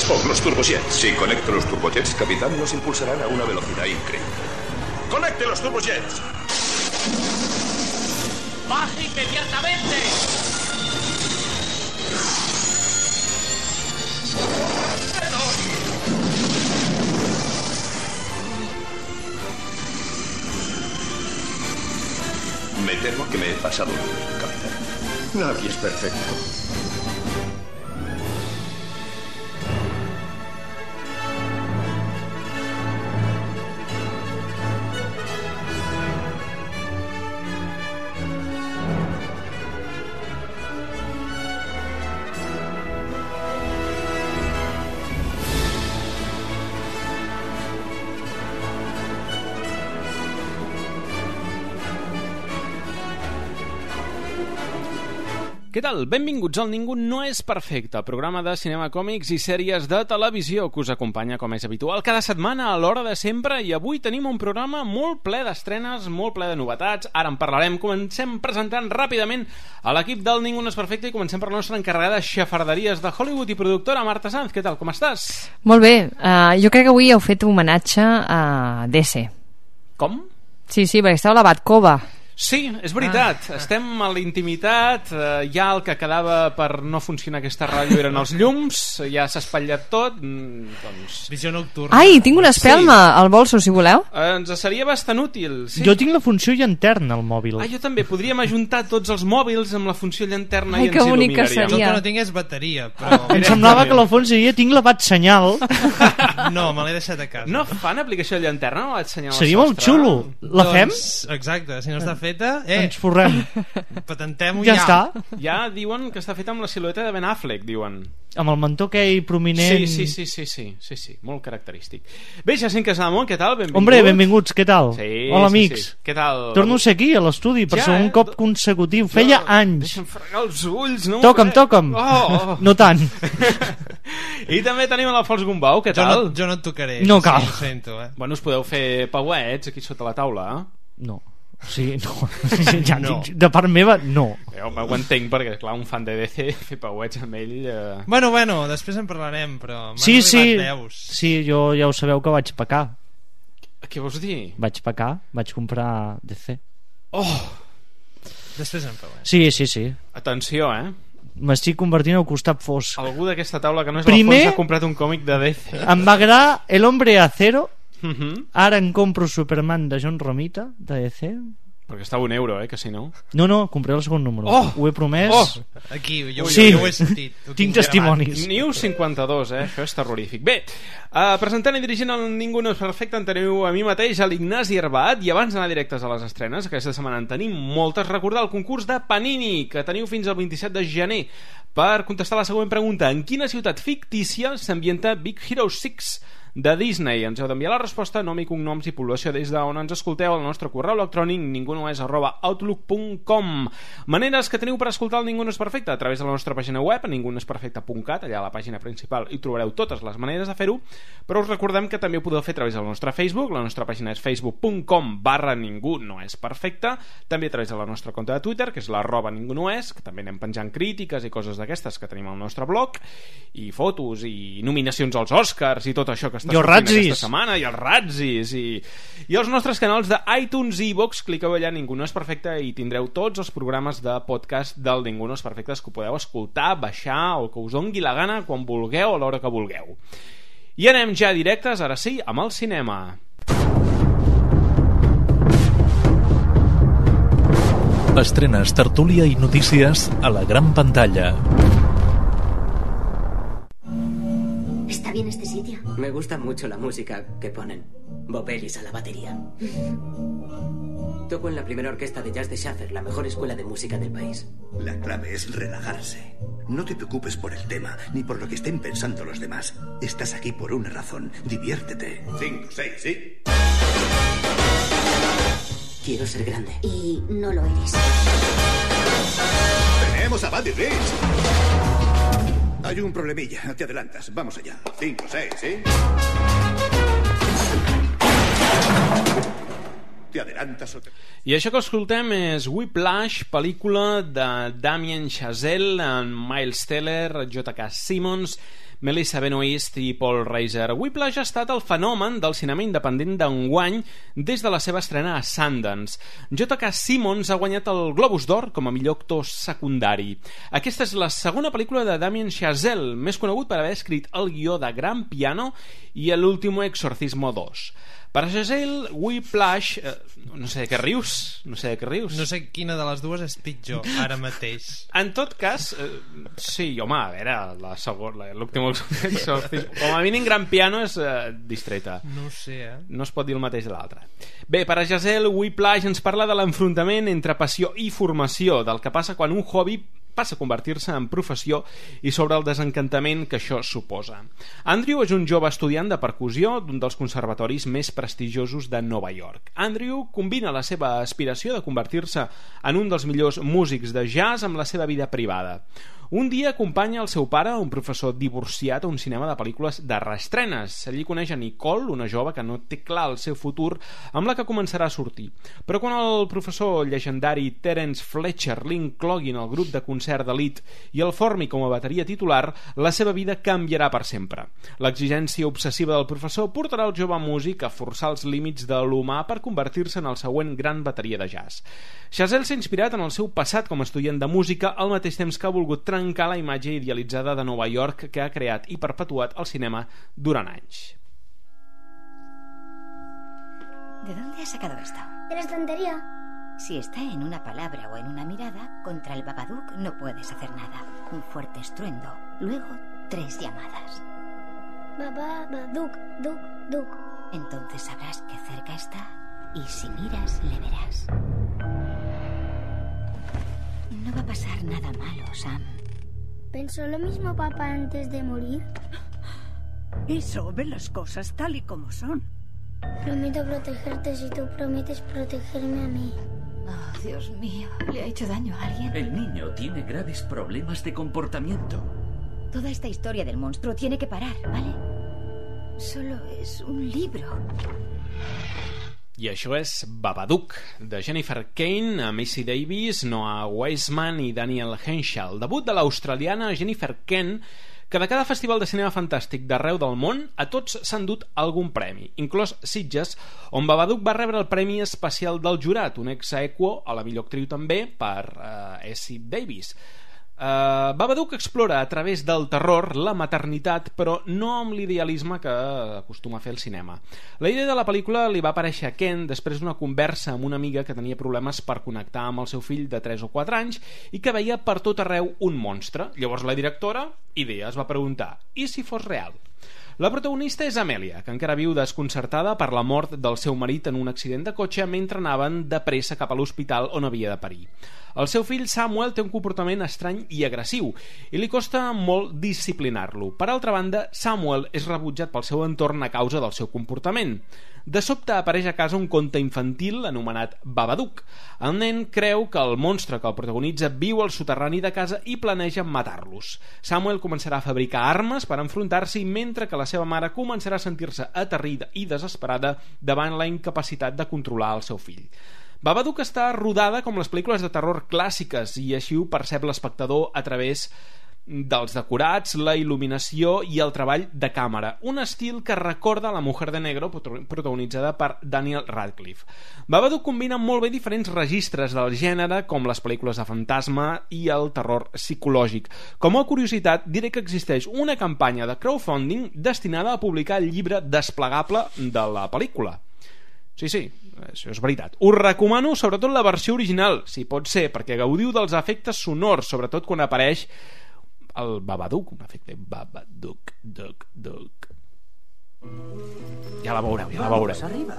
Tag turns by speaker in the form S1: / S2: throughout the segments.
S1: Spock los turbojets.
S2: Si conecto los turbojets, capitán, nos impulsarán a una velocidad increíble.
S1: ¡Conecte los turbojets!
S3: ¡Baje inmediatamente!
S2: Me temo que me he pasado, capitán.
S1: Nadie es perfecto.
S4: Què tal? Benvinguts al Ningú no és perfecte, programa de cinema, còmics i sèries de televisió que us acompanya, com és habitual, cada setmana a l'hora de sempre, i avui tenim un programa molt ple d'estrenes, molt ple de novetats. Ara en parlarem. Comencem presentant ràpidament a l'equip del Ningú no és perfecte i comencem per la nostra encarregada de xafarderies de Hollywood i productora, Marta Sanz. Què tal? Com estàs?
S5: Molt bé. Jo crec que avui heu fet homenatge a DC.
S4: Com?
S5: Sí, perquè estava a la Batcova.
S4: Sí, és veritat. Estem a la intimitat. Ja el que quedava per no funcionar aquesta ràdio eren els llums. Ja s'ha espatllat tot. Doncs...
S6: Visió nocturna.
S5: Ai, tinc una espelma al bolso, si voleu.
S4: Ens seria bastant útil. Sí.
S6: Jo tinc la funció llanterna al mòbil.
S4: Jo també. Podríem ajuntar tots els mòbils amb la funció llanterna.
S5: Ai,
S4: i ens
S5: que bonic que
S4: il·luminaríem.
S6: Jo
S5: seria.
S6: que no tinc és bateria, però... Em semblava que la fons diria tinc la bat senyal. No, me l'he deixat a casa.
S4: No fan aplicació de llanterna? No?
S6: Seria molt xulo. La fem?
S7: Exacte, si no està feta,
S6: ens forrem.
S7: Patentem-ho
S6: Ja està.
S4: Ja diuen que està feta amb la silueta de Ben Affleck, diuen.
S6: Amb el mentó aquell prominent.
S4: Sí, molt característic. Bé, Jacint Casademont, què tal? Benvingut.
S6: Hombre, benvinguts, què tal?
S4: Sí,
S6: hola,
S4: sí,
S6: amics.
S4: sí. Què tal?
S6: Torno a ser aquí, a l'estudi, per segon cop consecutiu. Feia anys.
S4: Deixa'm fregar els ulls, no?
S6: Toca'm.
S4: Oh.
S6: No tant.
S4: I també tenim l'Alfons Gombau, què tal?
S7: Jo no et tocaré.
S6: No cal.
S7: Ho sento,
S4: Bueno, us podeu fer pauets aquí sota la taula,
S6: No. Sí, no. Ja no. De part meva, no.
S4: Ho entenc, perquè clar, un fan de DC fer pauets amb ell...
S7: Bueno, després en parlarem, però m'han arribat veus.
S6: Sí, jo ja ho sabeu que vaig pecar.
S4: Què vols dir?
S6: Vaig pecar, vaig comprar DC.
S7: Després en parlarem.
S6: Sí.
S4: Atenció,
S6: M'estic convertint al costat fosc.
S4: Algú d'aquesta taula que no és l'Alfons ha comprat un còmic de DC.
S6: Em va agradar El Hombre Acero. Ara em compro Superman de John Romita de DC.
S4: Perquè està a €1, que si no...
S6: No, compré el segon número. Ho he promès.
S7: Aquí, jo ho he sentit.
S6: Tinc testimonis.
S4: New 52, això és terrorífic. Bé, presentant i dirigint el Ningú no és perfecte, en teniu a mi mateix, a l'Ignasi Herbat, i abans d'anar directes a les estrenes, aquesta setmana en tenim moltes, recordar el concurs de Panini, que teniu fins al 27 de gener, per contestar la següent pregunta: en quina ciutat fictícia s'ambienta Big Hero 6 de Disney? Ens heu d'enviar la resposta, nom i cognoms i població des d'on ens escolteu al nostre correu electrònic ningunoes@outlook.com. Maneres que teniu per escoltar el Ningú no és perfecte: a través de la nostra pàgina web ningunoesperfecte.cat. Allà a la pàgina principal hi trobareu totes les maneres de fer-ho, però us recordem que també ho podeu fer a través del nostre Facebook. La nostra pàgina és facebook.com/ningunoesperfecte. També a través de la nostra compte de Twitter, que és @ningunoes, que també anem penjant crítiques i coses d'aquestes que tenim al nostre blog, i fotos i nominacions als Oscars i tot això que
S6: i els ratzis
S4: aquesta setmana, i els ratzis i els nostres canals de iTunes i iVoox. Cliqueu allà Ningú no és perfecte i tindreu tots els programes de podcast del Ningú no és perfecte que podeu escoltar, baixar o que us dongui la gana quan vulgueu, a l'hora que vulgueu. I anem ja directes, ara sí, amb el cinema.
S8: Estrenes, tertúlia i notícies a la gran pantalla.
S9: ¿Está bien este sitio?
S10: Me gusta mucho la música que ponen. Bob Ellis a la batería. Toco en la primera orquesta de jazz de Schaffer, la mejor escuela de música del país.
S1: La clave es relajarse. No te preocupes por el tema, ni por lo que estén pensando los demás. Estás aquí por una razón. Diviértete. 5, 6, ¿sí?
S10: Quiero ser grande.
S9: Y no lo eres.
S1: Tenemos a Buddy Rich. Hay un problemilla, te adelantas. Vamos allá. 5, 6, ¿sí? Te adelantas o te...
S4: I això que escoltem és Whiplash, pel·lícula de Damien Chazelle, en Miles Teller, J.K. Simmons, Melissa Benoist i Paul Reiser. Whiplash ha estat el fenomen del cinema independent d'enguany des de la seva estrena a Sundance. J.K. Simmons ha guanyat el Globus d'Or com a millor actor secundari. Aquesta és la segona pel·lícula de Damien Chazelle, més conegut per haver escrit el guió de Gran Piano i El último exorcismo 2. Per a Chazelle, Whiplash... no sé de què rius. No sé
S7: quina de les dues és pitjor, ara mateix.
S4: En tot cas, sí, home, a veure, la segona, l'últim exorcismo, com a mínim Gran Piano és distreta.
S7: No ho sé,
S4: No es pot dir el mateix de l'altre. Bé, per a Chazelle, Whiplash ens parla de l'enfrontament entre passió i formació, del que passa quan un hobby passa a convertir-se en professió i sobre el desencantament que això suposa. Andrew és un jove estudiant de percussió d'un dels conservatoris més prestigiosos de Nova York. Andrew combina la seva aspiració de convertir-se en un dels millors músics de jazz amb la seva vida privada. Un dia acompanya el seu pare, un professor divorciat, a un cinema de pel·lícules de reestrenes. Allí coneix a Nicole, una jove que no té clar el seu futur, amb la que començarà a sortir. Però quan el professor llegendari Terence Fletcher l'inclogui en el grup de concert d'elit i el formi com a bateria titular, la seva vida canviarà per sempre. L'exigència obsessiva del professor portarà el jove músic a forçar els límits de l'humà per convertir-se en el següent gran bateria de jazz. Chazelle s'ha inspirat en el seu passat com a estudiant de música, al mateix temps que ha volgut trencar la imatge idealitzada de Nova York que ha creat i perpetuat el cinema durant anys.
S11: ¿De dónde has sacado esto?
S9: De la estantería.
S11: Si está en una palabra o en una mirada, contra el Babadook no puedes hacer nada. Un fuerte estruendo, luego 3 llamadas.
S9: Babadook, duk, duk.
S11: Entonces sabrás que cerca está y si miras le verás. No va a pasar nada malo, Sam.
S9: ¿Pensó lo mismo papá antes de morir?
S12: Eso, ve las cosas tal y como son.
S9: Prometo protegerte si tú prometes protegerme a mí.
S11: Oh, Dios mío, ¿le ha hecho daño a alguien?
S13: El niño tiene graves problemas de comportamiento.
S11: Toda esta historia del monstruo tiene que parar, ¿vale? Solo es un libro.
S4: I això és Babadook, de Jennifer Kane, Macy Davis, Noah Wiseman i Daniel Henshall. Debut de l'australiana Jennifer Kane, que de cada festival de cinema fantàstic d'arreu del món a tots s'han dut algun premi, inclòs Sitges, on Babadook va rebre el Premi Especial del Jurat, un ex aequo a la millor actriu també per Essie Davis. Babadook explora a través del terror la maternitat, però no amb l'idealisme que acostuma a fer el cinema. La idea de la pel·lícula li va aparèixer a Ken després d'una conversa amb una amiga que tenia problemes per connectar amb el seu fill de 3 o 4 anys i que veia per tot arreu un monstre. Llavors la directora, idea, es va preguntar: i si fos real? La protagonista és Amèlia, que encara viu desconcertada per la mort del seu marit en un accident de cotxe mentre anaven de pressa cap a l'hospital on havia de parir. El seu fill Samuel té un comportament estrany i agressiu i li costa molt disciplinar-lo. Per altra banda, Samuel és rebutjat pel seu entorn a causa del seu comportament. De sobte apareix a casa un conte infantil anomenat Babadook. El nen creu que el monstre que el protagonitza viu al soterrani de casa i planeja matar-los. Samuel començarà a fabricar armes per enfrontar-s'hi, mentre que la seva mare començarà a sentir-se aterrida i desesperada davant la incapacitat de controlar el seu fill. Babadook està rodada com les pel·lícules de terror clàssiques i així ho percep l'espectador a través dels decorats, la il·luminació i el treball de càmera, un estil que recorda La Mujer de Negro, protagonitzada per Daniel Radcliffe. Babadook combina molt bé diferents registres del gènere, com les pel·lícules de fantasma i el terror psicològic. Com a curiositat, diré que existeix una campanya de crowdfunding destinada a publicar el llibre desplegable de la pel·lícula. Sí, això és veritat. Us recomano sobretot la versió original, si pot ser, perquè gaudiu dels efectes sonors, sobretot quan apareix el Babadook, un efecte Babadook, Dook. Ja la veureu,
S10: Vamos arriba.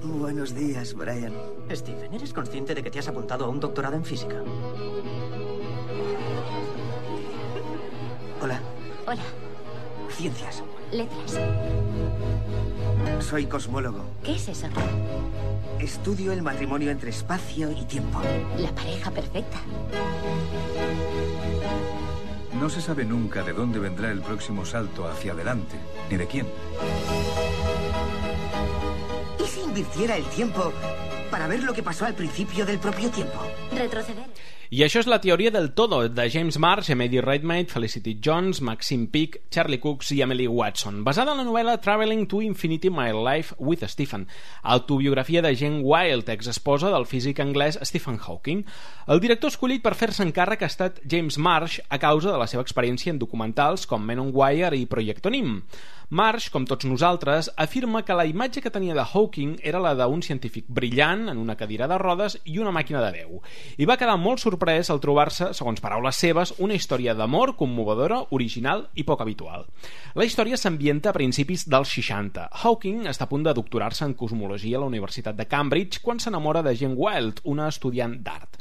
S14: Buenos días, Brian.
S10: Stephen, ¿eres consciente de que te has apuntado a un doctorado en física?
S14: Hola.
S11: Hola.
S14: Ciencias.
S11: Letras.
S14: Soy cosmólogo.
S11: ¿Qué es eso?
S14: Estudio el matrimonio entre espacio y tiempo.
S11: La pareja perfecta.
S15: No se sabe nunca de dónde vendrá el próximo salto hacia adelante, ni de quién.
S14: ¿Y si invirtiera el tiempo para ver lo que pasó al principio del propio tiempo?
S11: Retroceder.
S4: I això és La teoria del todo, de James Marsh, amb Eddie Redmayne, Felicity Jones, Maxine Peake, Charlie Cox i Emily Watson, basada en la novel·la Traveling to Infinity My Life with Stephen, autobiografia de Jane Wilde, exesposa del físic anglès Stephen Hawking. El director escollit per fer-se encàrrec ha estat James Marsh a causa de la seva experiència en documentals com Men on Wire i Project Nim. Marsh, com tots nosaltres, afirma que la imatge que tenia de Hawking era la d'un científic brillant en una cadira de rodes i una màquina de veu, i va quedar molt sorprès al trobar-se, segons paraules seves, una història d'amor commovedora, original i poc habitual. La història s'ambienta a principis dels 60. Hawking està a punt de doctorar-se en cosmologia a la Universitat de Cambridge quan s'enamora de Jane Wilde, una estudiant d'art.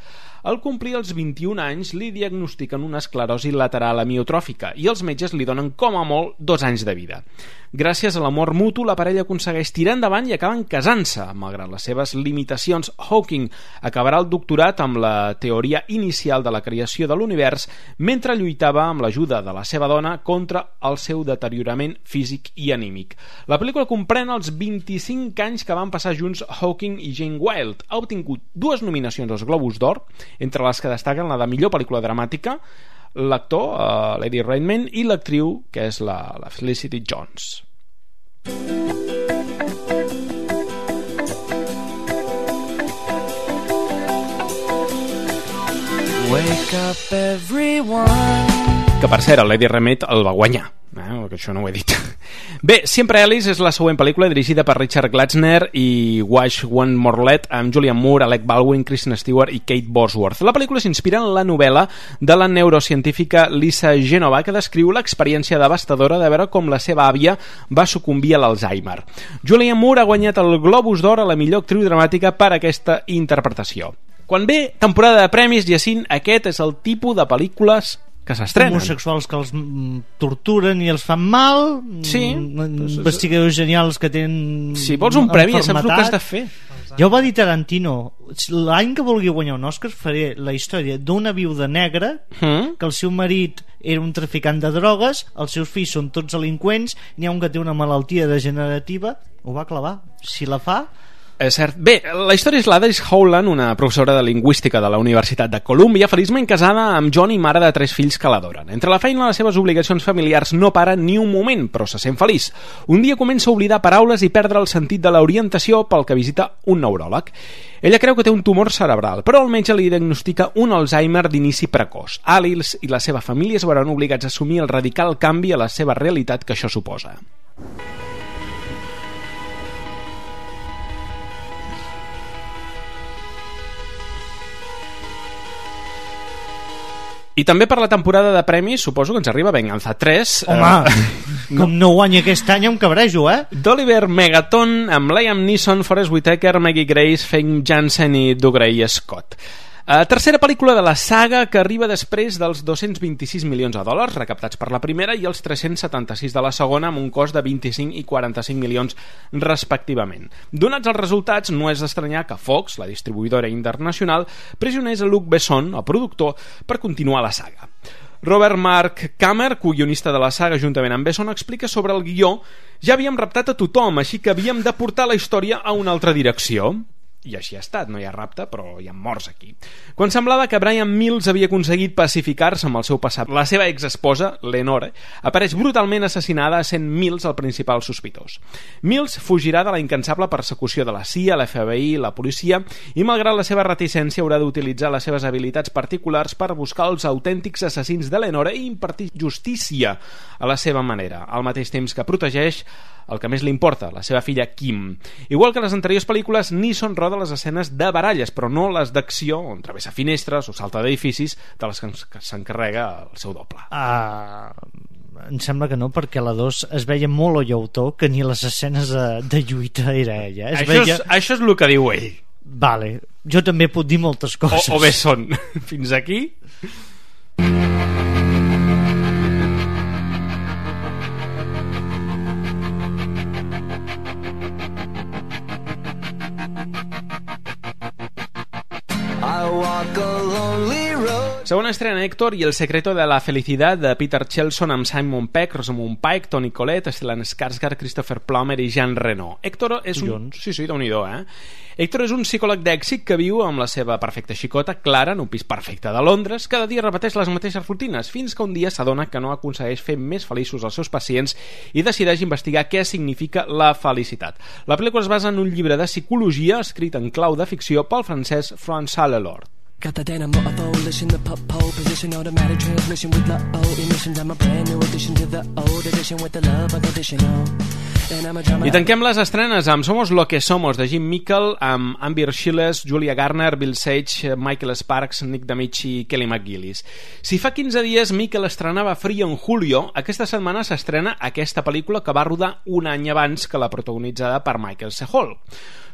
S4: Al complir els 21 anys li diagnostiquen una esclerosi lateral amiotròfica i els metges li donen com a molt 2 anys de vida. Gràcies a l'amor mutu, la parella aconsegueix tirar endavant i acaben casant-se. Malgrat les seves limitacions, Hawking acabarà el doctorat amb la teoria inicial de la creació de l'univers mentre lluitava amb l'ajuda de la seva dona contra el seu deteriorament físic i anímic. La pel·lícula comprèn els 25 anys que van passar junts Hawking i Jane Wilde. Ha obtingut 2 nominacions als Globus d'Or, entre les que destaquen la de millor pel·lícula dramàtica, l'actor, l'Eddie Redmayne, i l'actriu, que és la Felicity Jones.
S16: Wake up everyone.
S4: Que per cert, l'Eddie Redmayne el va guanyar, que això no ho he dit. Bé, Siempre Alice és la següent pel·lícula dirigida per Richard Glasner i Wash One Morlet, amb Julianne Moore, Alec Baldwin, Kristen Stewart i Kate Bosworth. La pel·lícula s'inspira en la novel·la de la neurocientífica Lisa Genova, que descriu l'experiència devastadora de veure com la seva àvia va sucumbir a l'Alzheimer. Julianne Moore ha guanyat el Globus d'Or a la millor actriu dramàtica per aquesta interpretació. Quan ve temporada de premis, Jacint, aquest és el tipus de pel·lícules que s'estrenen.
S6: Homosexuals que els torturen i els fan mal,
S4: sí,
S6: investigadors genials que tenen
S4: si vols un premi ja saps el que has de fer.
S6: Ja ho va dir Tarantino, l'any que vulgui guanyar un Oscar faré la història d'una viuda negra que el seu marit era un traficant de drogues, els seus fills són tots delinqüents, n'hi ha un que té una malaltia degenerativa, ho va clavar, si la fa.
S4: És cert. Bé, la història és la d'Alice Howland, una professora de lingüística de la Universitat de Columbia, feliçment casada amb John i mare de 3 fills que l'adoren. Entre la feina i les seves obligacions familiars no para ni un moment, però se sent feliç. Un dia comença a oblidar paraules i perdre el sentit de l'orientació pel que visita un neuròleg. Ella creu que té un tumor cerebral, però el metge li diagnostica un Alzheimer d'inici precoç. Alice i la seva família es veuran obligats a assumir el radical canvi a la seva realitat que això suposa. I també per la temporada de premis suposo que ens arriba Venganza 3.
S6: Home, com no guanya aquest any em cabrejo,
S4: d'Oliver Megaton, amb Liam Neeson, Forest Whitaker, Maggie Grace, Fame Jansen i Dougray Scott. Tercera pel·lícula de la saga que arriba després dels 226 milions de dòlars recaptats per la primera i els 376 de la segona, amb un cost de 25 i 45 milions respectivament. Donats els resultats, no és d'estranyar que Fox, la distribuïdora internacional, pressionés a Luc Besson, el productor, per continuar la saga. Robert Mark Kammer, co-guionista de la saga juntament amb Besson, explica sobre el guió: ja havíem raptat a tothom, així que havíem de portar la història a una altra direcció. I així ha estat, no hi ha rapte, però hi ha morts aquí. Quan semblava que Brian Mills havia aconseguit pacificar-se amb el seu passat, la seva exesposa, Lenore, apareix brutalment assassinada, sent Mills el principal sospitós. Mills fugirà de la incansable persecució de la CIA, l'FBI, la policia, i malgrat la seva reticència haurà d'utilitzar les seves habilitats particulars per buscar els autèntics assassins de Lenore i impartir justícia a la seva manera, al mateix temps que protegeix el que més li importa, la seva filla Kim. Igual que les anteriors pel·lícules, Neeson roda les escenes de baralles, però no les d'acció, on travessa finestres o salta d'edificis, de les que s'encarrega el seu doble.
S6: Em sembla que no, perquè a la 2 es veia molt o llautó que ni les escenes de lluita era ella.
S4: Això és el que diu ell.
S6: Vale, jo també puc dir moltes coses.
S4: O bé són. Fins aquí... Segona estrena Héctor i el secreto de la felicidad de Peter Chelson amb Simon Pegg, Rosamund Pike, Toni Collette, Stellan Skarsgård, Christopher Plummer i Jean Reno. Héctor és un... Sí, Déu-n'hi-do, Héctor és un psicòleg d'èxit que viu amb la seva perfecta xicota, Clara, en un pis perfecte de Londres. Cada dia repeteix les mateixes rutines, fins que un dia s'adona que no aconsegueix fer més feliços els seus pacients i decideix investigar què significa la felicitat. La pel·lícula es basa en un llibre de psicologia escrit en clau de ficció pel francès François Lelord.
S16: Got the dynamo abolition, the pole position, automatic transmission with low emissions. I'm a brand new addition to the old edition with the love unconditional.
S4: I tanquem les estrenes amb Somos lo que somos, de Jim Mickle, amb Amber Schilles, Julia Garner, Bill Sage, Michael Sparks, Nick D'Amici i Kelly McGillis. Si fa 15 dies Mickle estrenava Frío en Julio, aquesta setmana s'estrena aquesta pel·lícula que va rodar un any abans que la protagonitzada per Michael C. Hall.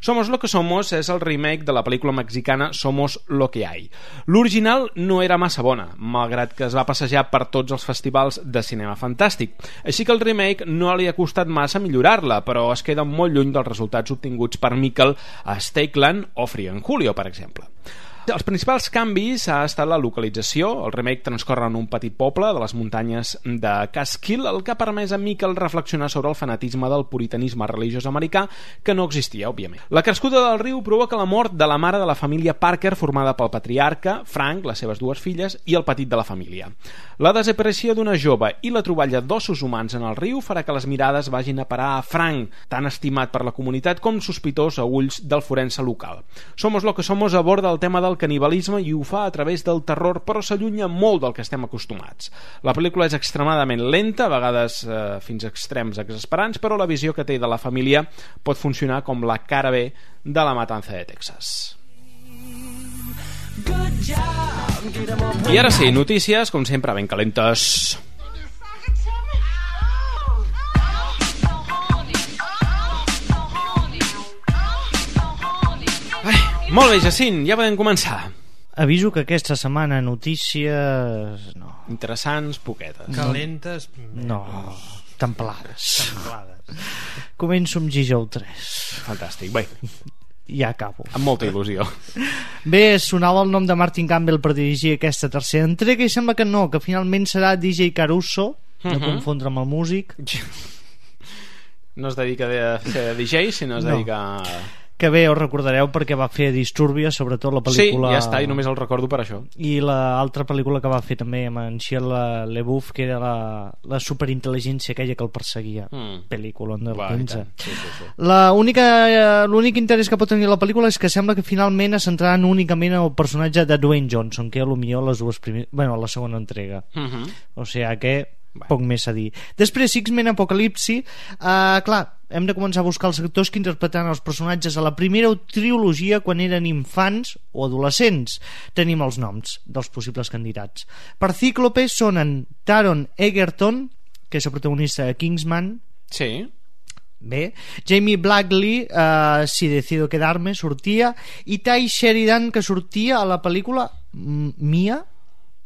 S4: Somos lo que somos és el remake de la pel·lícula mexicana Somos lo que hay. L'original no era massa bona, malgrat que es va passejar per tots els festivals de cinema fantàstic. Així que el remake no li ha costat massa millorar-la, però es queda molt lluny dels resultats obtinguts per Mickle a Stakeland o Frío en Julio, per exemple. Els principals canvis ha estat la localització. El remake transcorre en un petit poble de les muntanyes de Catskill, el que ha permès a Mickle reflexionar sobre el fanatisme del puritanisme religiós americà, que no existia, òbviament. La crescuda del riu provoca la mort de la mare de la família Parker, formada pel patriarca, Frank, les seves dues filles i el petit de la família. La desaparició d'una jove i la troballa d'ossos humans en el riu farà que les mirades vagin a parar a Frank, tan estimat per la comunitat com sospitós a ulls del forense local. Somos lo que somos aborda el tema del canibalisme i ho fa a través del terror, però s'allunya molt del que estem acostumats. La pel·lícula és extremadament lenta, a vegades fins a extrems exasperants, però la visió que té de la família pot funcionar com la cara B de La matanza de Texas. I ara sí, notícies, com sempre, ben calentes. Molt bé, Jacint, ja podem començar.
S6: Aviso que aquesta setmana notícies... no.
S4: Interessants, poquetes.
S7: Calentes...
S6: No, templades. Començo amb G-Joe 3.
S4: Fantàstic, bé.
S6: Ja acabo.
S4: Amb molta il·lusió.
S6: Bé, sonava el nom de Martin Campbell per dirigir aquesta tercera entrega i sembla que no, que finalment serà DJ Caruso, no confondre amb el músic.
S4: No es dedica a ser DJ, sinó es dedica a...
S6: Que bé, us recordareu perquè va fer Disturbia, sobretot la pel·lícula...
S4: Sí, ja està, i només el recordo per això.
S6: I l'altra pel·lícula que va fer també amb en Shia LaBeouf, que era la superintel·ligència aquella que el perseguia. Pel·lícula del 15. Sí. L'únic interès que pot tenir la pel·lícula és que sembla que finalment es centraran únicament en el personatge de Dwayne Johnson, que potser les dues primeres... bueno, la segona entrega. O sigui que... poc més a dir. Després, X-Men Apocalipsi, clar, hem de començar a buscar els actors que interpretaran els personatges a la primera trilogia quan eren infants o adolescents. Tenim els noms dels possibles candidats. Per Cíclope sonen Taron Egerton, que és el protagonista de Kingsman.
S4: Sí.
S6: Bé, Jamie Blackley, Si decido quedarme, sortia, i Ty Sheridan, que sortia a la pel·lícula Mia.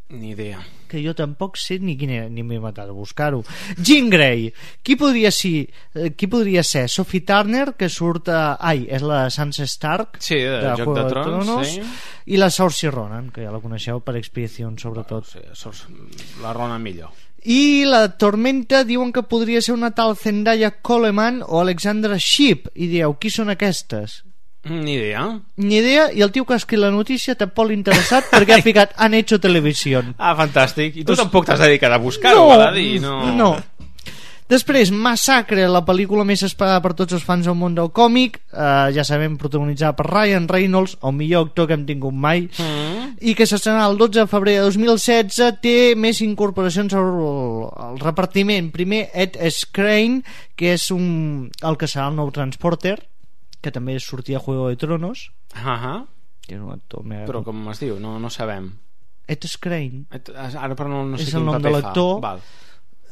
S4: Ni idea.
S6: Que jo tampoc sé ni quin era, ni m'he matat a buscar-ho. Jean Grey, qui podria ser? Sophie Turner, que surt és la Sansa Stark,
S4: sí, de Joc de Trons, sí.
S6: I la Saoirse Ronan, que ja la coneixeu per Expedició, sobretot.
S4: La Ronan millor.
S6: I la Tormenta diuen que podria ser una tal Zendaya Coleman o Alexandra Shipp, i dieu, qui són aquestes?
S4: Ni idea.
S6: I el tio que ha escrit la notícia tampoc l'ha interessat perquè ha ficat han hecho televisión.
S4: Ah, fantàstic. I tu tampoc t'has dedicat a buscar-ho, va dir?
S6: No. Després, Massacre, la pel·lícula més esperada per tots els fans del món del còmic, ja sabem, protagonitzada per Ryan Reynolds, el millor actor que hem tingut mai, i que s'estrenarà el 12 de febrer de 2016. Té més incorporacions al repartiment. Primer, Ed Skrein, que és el que serà el nou Transporter, que també sortia a Juego de Tronos. Que és un actor
S4: però com es diu? No sabem.
S6: Ed Skrein.
S4: Ara però no sé
S6: és el nom de l'actor.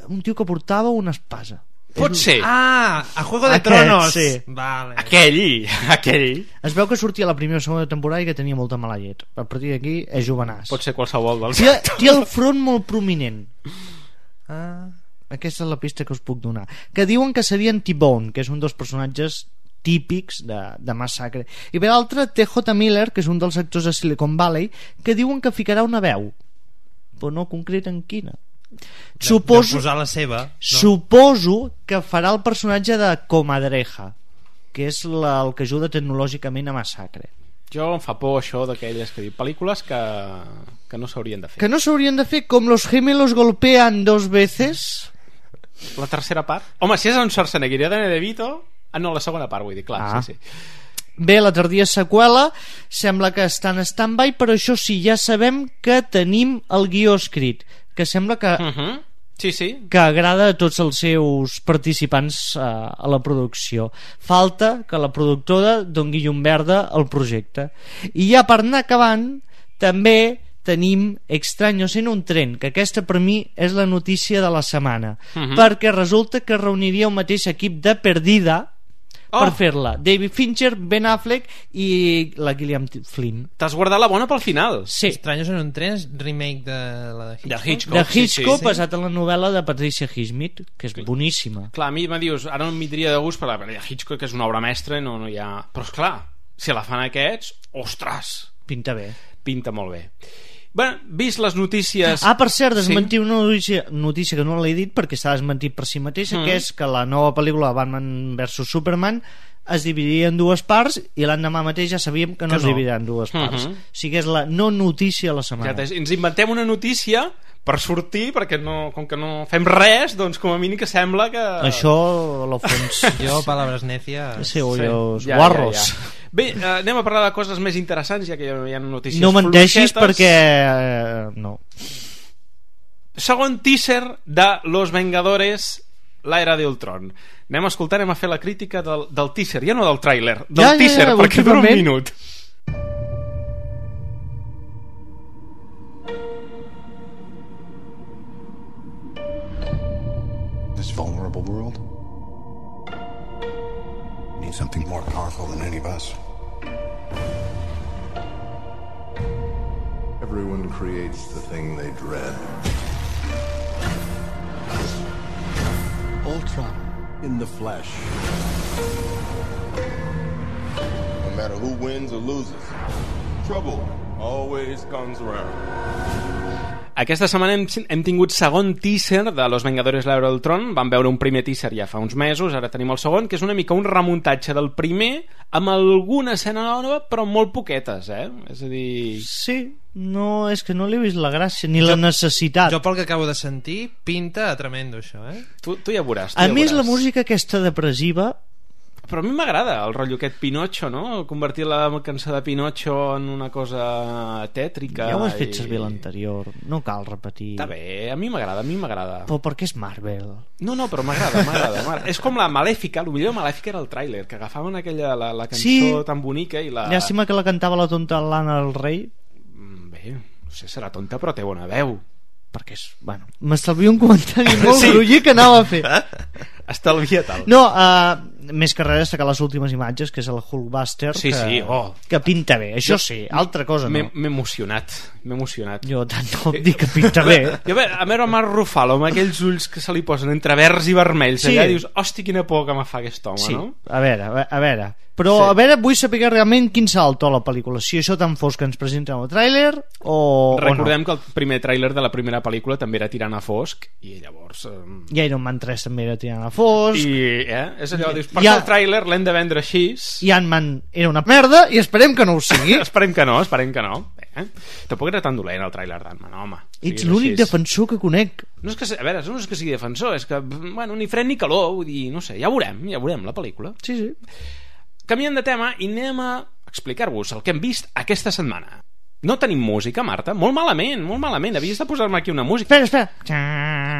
S6: Un tio que portava una espasa.
S4: Pot ser.
S7: A Juego de Tronos.
S6: Sí.
S7: Vale.
S4: Aquell.
S6: Es veu que sortia a la primera o segona temporada i que tenia molta mala llet. A partir d'aquí és jovenàs.
S4: Pot ser qualsevol dels
S6: Té el front molt prominent. Aquesta és la pista que us puc donar. Que diuen que serien T-Bone, que és un dels personatges típics de Massacre. I per l'altre, T.J. Miller, que és un dels actors de Silicon Valley, que diuen que ficarà una veu. però no concreten quina.
S7: De posar la seva, no?
S6: Suposo que farà el personatge de Comadreja, que és el que ajuda tecnològicament a Massacre.
S4: Jo em fa por això d'aquelles que diu pel·lícules que no s'haurien de fer.
S6: Que no s'haurien de fer, com los gemelos golpean 2 veces.
S4: La tercera part? Home, si és en Schwarzenegger i Danny DeVito... no, la segona part, vull dir, clar, sí.
S6: Bé, la tardia seqüela sembla que està en stand-by, però això sí, ja sabem que tenim el guió escrit, que sembla que que agrada a tots els seus participants a la producció. Falta que la productora doni llum verda al projecte. I ja per anar acabant, també tenim Extraños en un tren, que aquesta per mi és la notícia de la setmana, perquè resulta que reuniria el mateix equip de Perdida per fer-la. David Fincher, Ben Affleck i la Gillian Flynn.
S4: T'has guardat la bona pel final.
S6: Sí.
S7: Extraños en un tren és remake de la de Hitchcock.
S6: De Hitchcock, basat en la novel·la de Patricia Highsmith, que és boníssima.
S4: Clar, a mi me dius, ara no em vindria de gust, perquè Hitchcock és una obra mestra, no hi ha... Però esclar, si la fan aquests, ostres!
S6: Pinta bé.
S4: Pinta molt bé. Bueno, vist les notícies...
S6: per cert, desmentir una notícia que no l'he dit perquè està desmentit per si mateixa, que és que la nova pel·lícula Batman vs Superman es dividiria en 2 parts i l'endemà mateix ja sabíem que no es dividirà en 2 parts. O sigui, és la no notícia de la setmana.
S4: Ens inventem una notícia per sortir, perquè com que no fem res, doncs com a mínim que sembla que...
S6: Això, a lo fons...
S7: Jo, palabras necias...
S6: Sí, o els guarros.
S4: Bé, anem a parlar de coses més interessants, ja que hi ha notícies
S6: no menteixis perquè... no.
S4: Segon teaser de Los Vengadores, l'era de Ultron. Anem a escoltar, anem a fer la crítica del teaser, ja no del tràiler, del teaser, perquè dura un minut.
S17: This vulnerable world needs something more powerful than any of us.
S18: Everyone creates the thing they dread. Ultron in the flesh. No matter who wins or loses, trouble always comes around.
S4: Aquesta setmana hem tingut segon teaser de Los Vengadores l'Era d'Ultron. Vam veure un primer teaser ja fa uns mesos, ara tenim el segon, que és una mica un remuntatge del primer amb alguna escena nova, però molt poquetes, És a dir...
S6: Sí, no, és que no li he vist la gràcia ni la necessitat.
S7: Jo pel que acabo de sentir pinta a tremendo això,
S4: Tu ja veuràs.
S6: A més, la música aquesta depressiva...
S4: Però a mi m'agrada el rotllo aquest Pinocho, no? Convertir la cançó de Pinocho en una cosa tètrica.
S6: Ja ho has fet servir l'anterior, no cal repetir.
S4: Està bé, a mi m'agrada.
S6: Però perquè és Marvel.
S4: No, però m'agrada. És com la Malèfica, el millor de Malèfica era el tràiler, que agafaven aquella la cançó tan bonica i la...
S6: Llàstima que la cantava la tonta Lana del Rei.
S4: Bé, no sé, serà tonta però té bona veu.
S6: Perquè és... Bueno, m'estalvio un comentari molt groller que anava a fer.
S4: Estalvia-te'l.
S6: No, més que res destacar les últimes imatges, que és el Hulkbuster, que pinta bé. Això sí, altra cosa no.
S4: M'he emocionat.
S6: Jo tant no dic que pinta bé.
S4: Jo a veure Mark Ruffalo amb aquells ulls que se li posen entre verds i vermells, allà dius, hosti, quina por que me fa aquest home, no?
S6: A veure. Però a veure, vull saber realment quin salto a la pel·lícula, si això tan fos que ens presenten el tràiler o
S4: recordem que el primer tràiler de la primera pel·lícula també era tirant a fosc i llavors...
S6: I Iron Man 3 també era tirant a fosc
S4: i és allò, dius, perquè el tràiler l'hem de vendre així.
S6: I Ant-Man era una merda i esperem que no ho sigui.
S4: Esperem que no. Tampoc era tan dolent el tràiler d'Ant-Man, home.
S6: Ets l'únic defensor que conec.
S4: No és que, a veure, no és que sigui defensor, és que, bueno, ni fred ni calor, vull dir, no sé, ja veurem la pel·lícula.
S6: Sí.
S4: Canviem de tema i anem a explicar-vos el que hem vist aquesta setmana. No tenim música, Marta? Molt malament. Havies de posar-me aquí una música.
S6: Espera.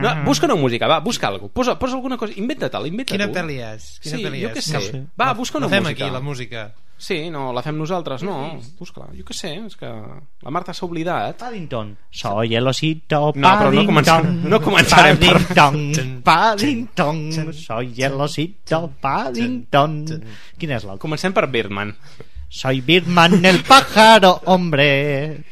S4: No, busca una música, va, busca alguna cosa. Posa alguna cosa, inventa-te'l,
S7: Quina pel·li és?
S4: Sí, jo què sé. Va, busca una música.
S7: La fem aquí, la música.
S4: Sí, no, la fem nosaltres, no. Busca-la, jo què sé, és que la Marta s'ha oblidat.
S6: Paddington. Soy el osito Paddington.
S4: No, però no començarem
S6: Paddington. Soy el osito Paddington. Quin és l'altre?
S4: Comencem per Birdman.
S6: Soy Birdman el pájaro, hombre.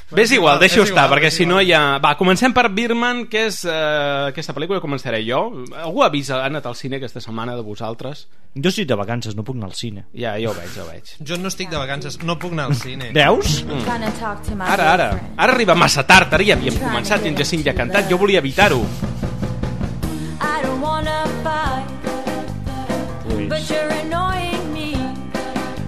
S4: Bé, és igual, deixa-ho estar, perquè si no ja... Va, comencem per Birdman, que és aquesta pel·lícula, començaré jo. Algú ha anat al cine aquesta setmana de vosaltres?
S6: Jo estic de vacances, no puc anar al cine.
S4: Ja ho veig.
S7: Jo no estic de vacances, no puc anar al cine.
S6: Veus?
S4: Ara arriba massa tard, ara ja havíem començat i en Jacint ja ha cantat, jo volia evitar-ho.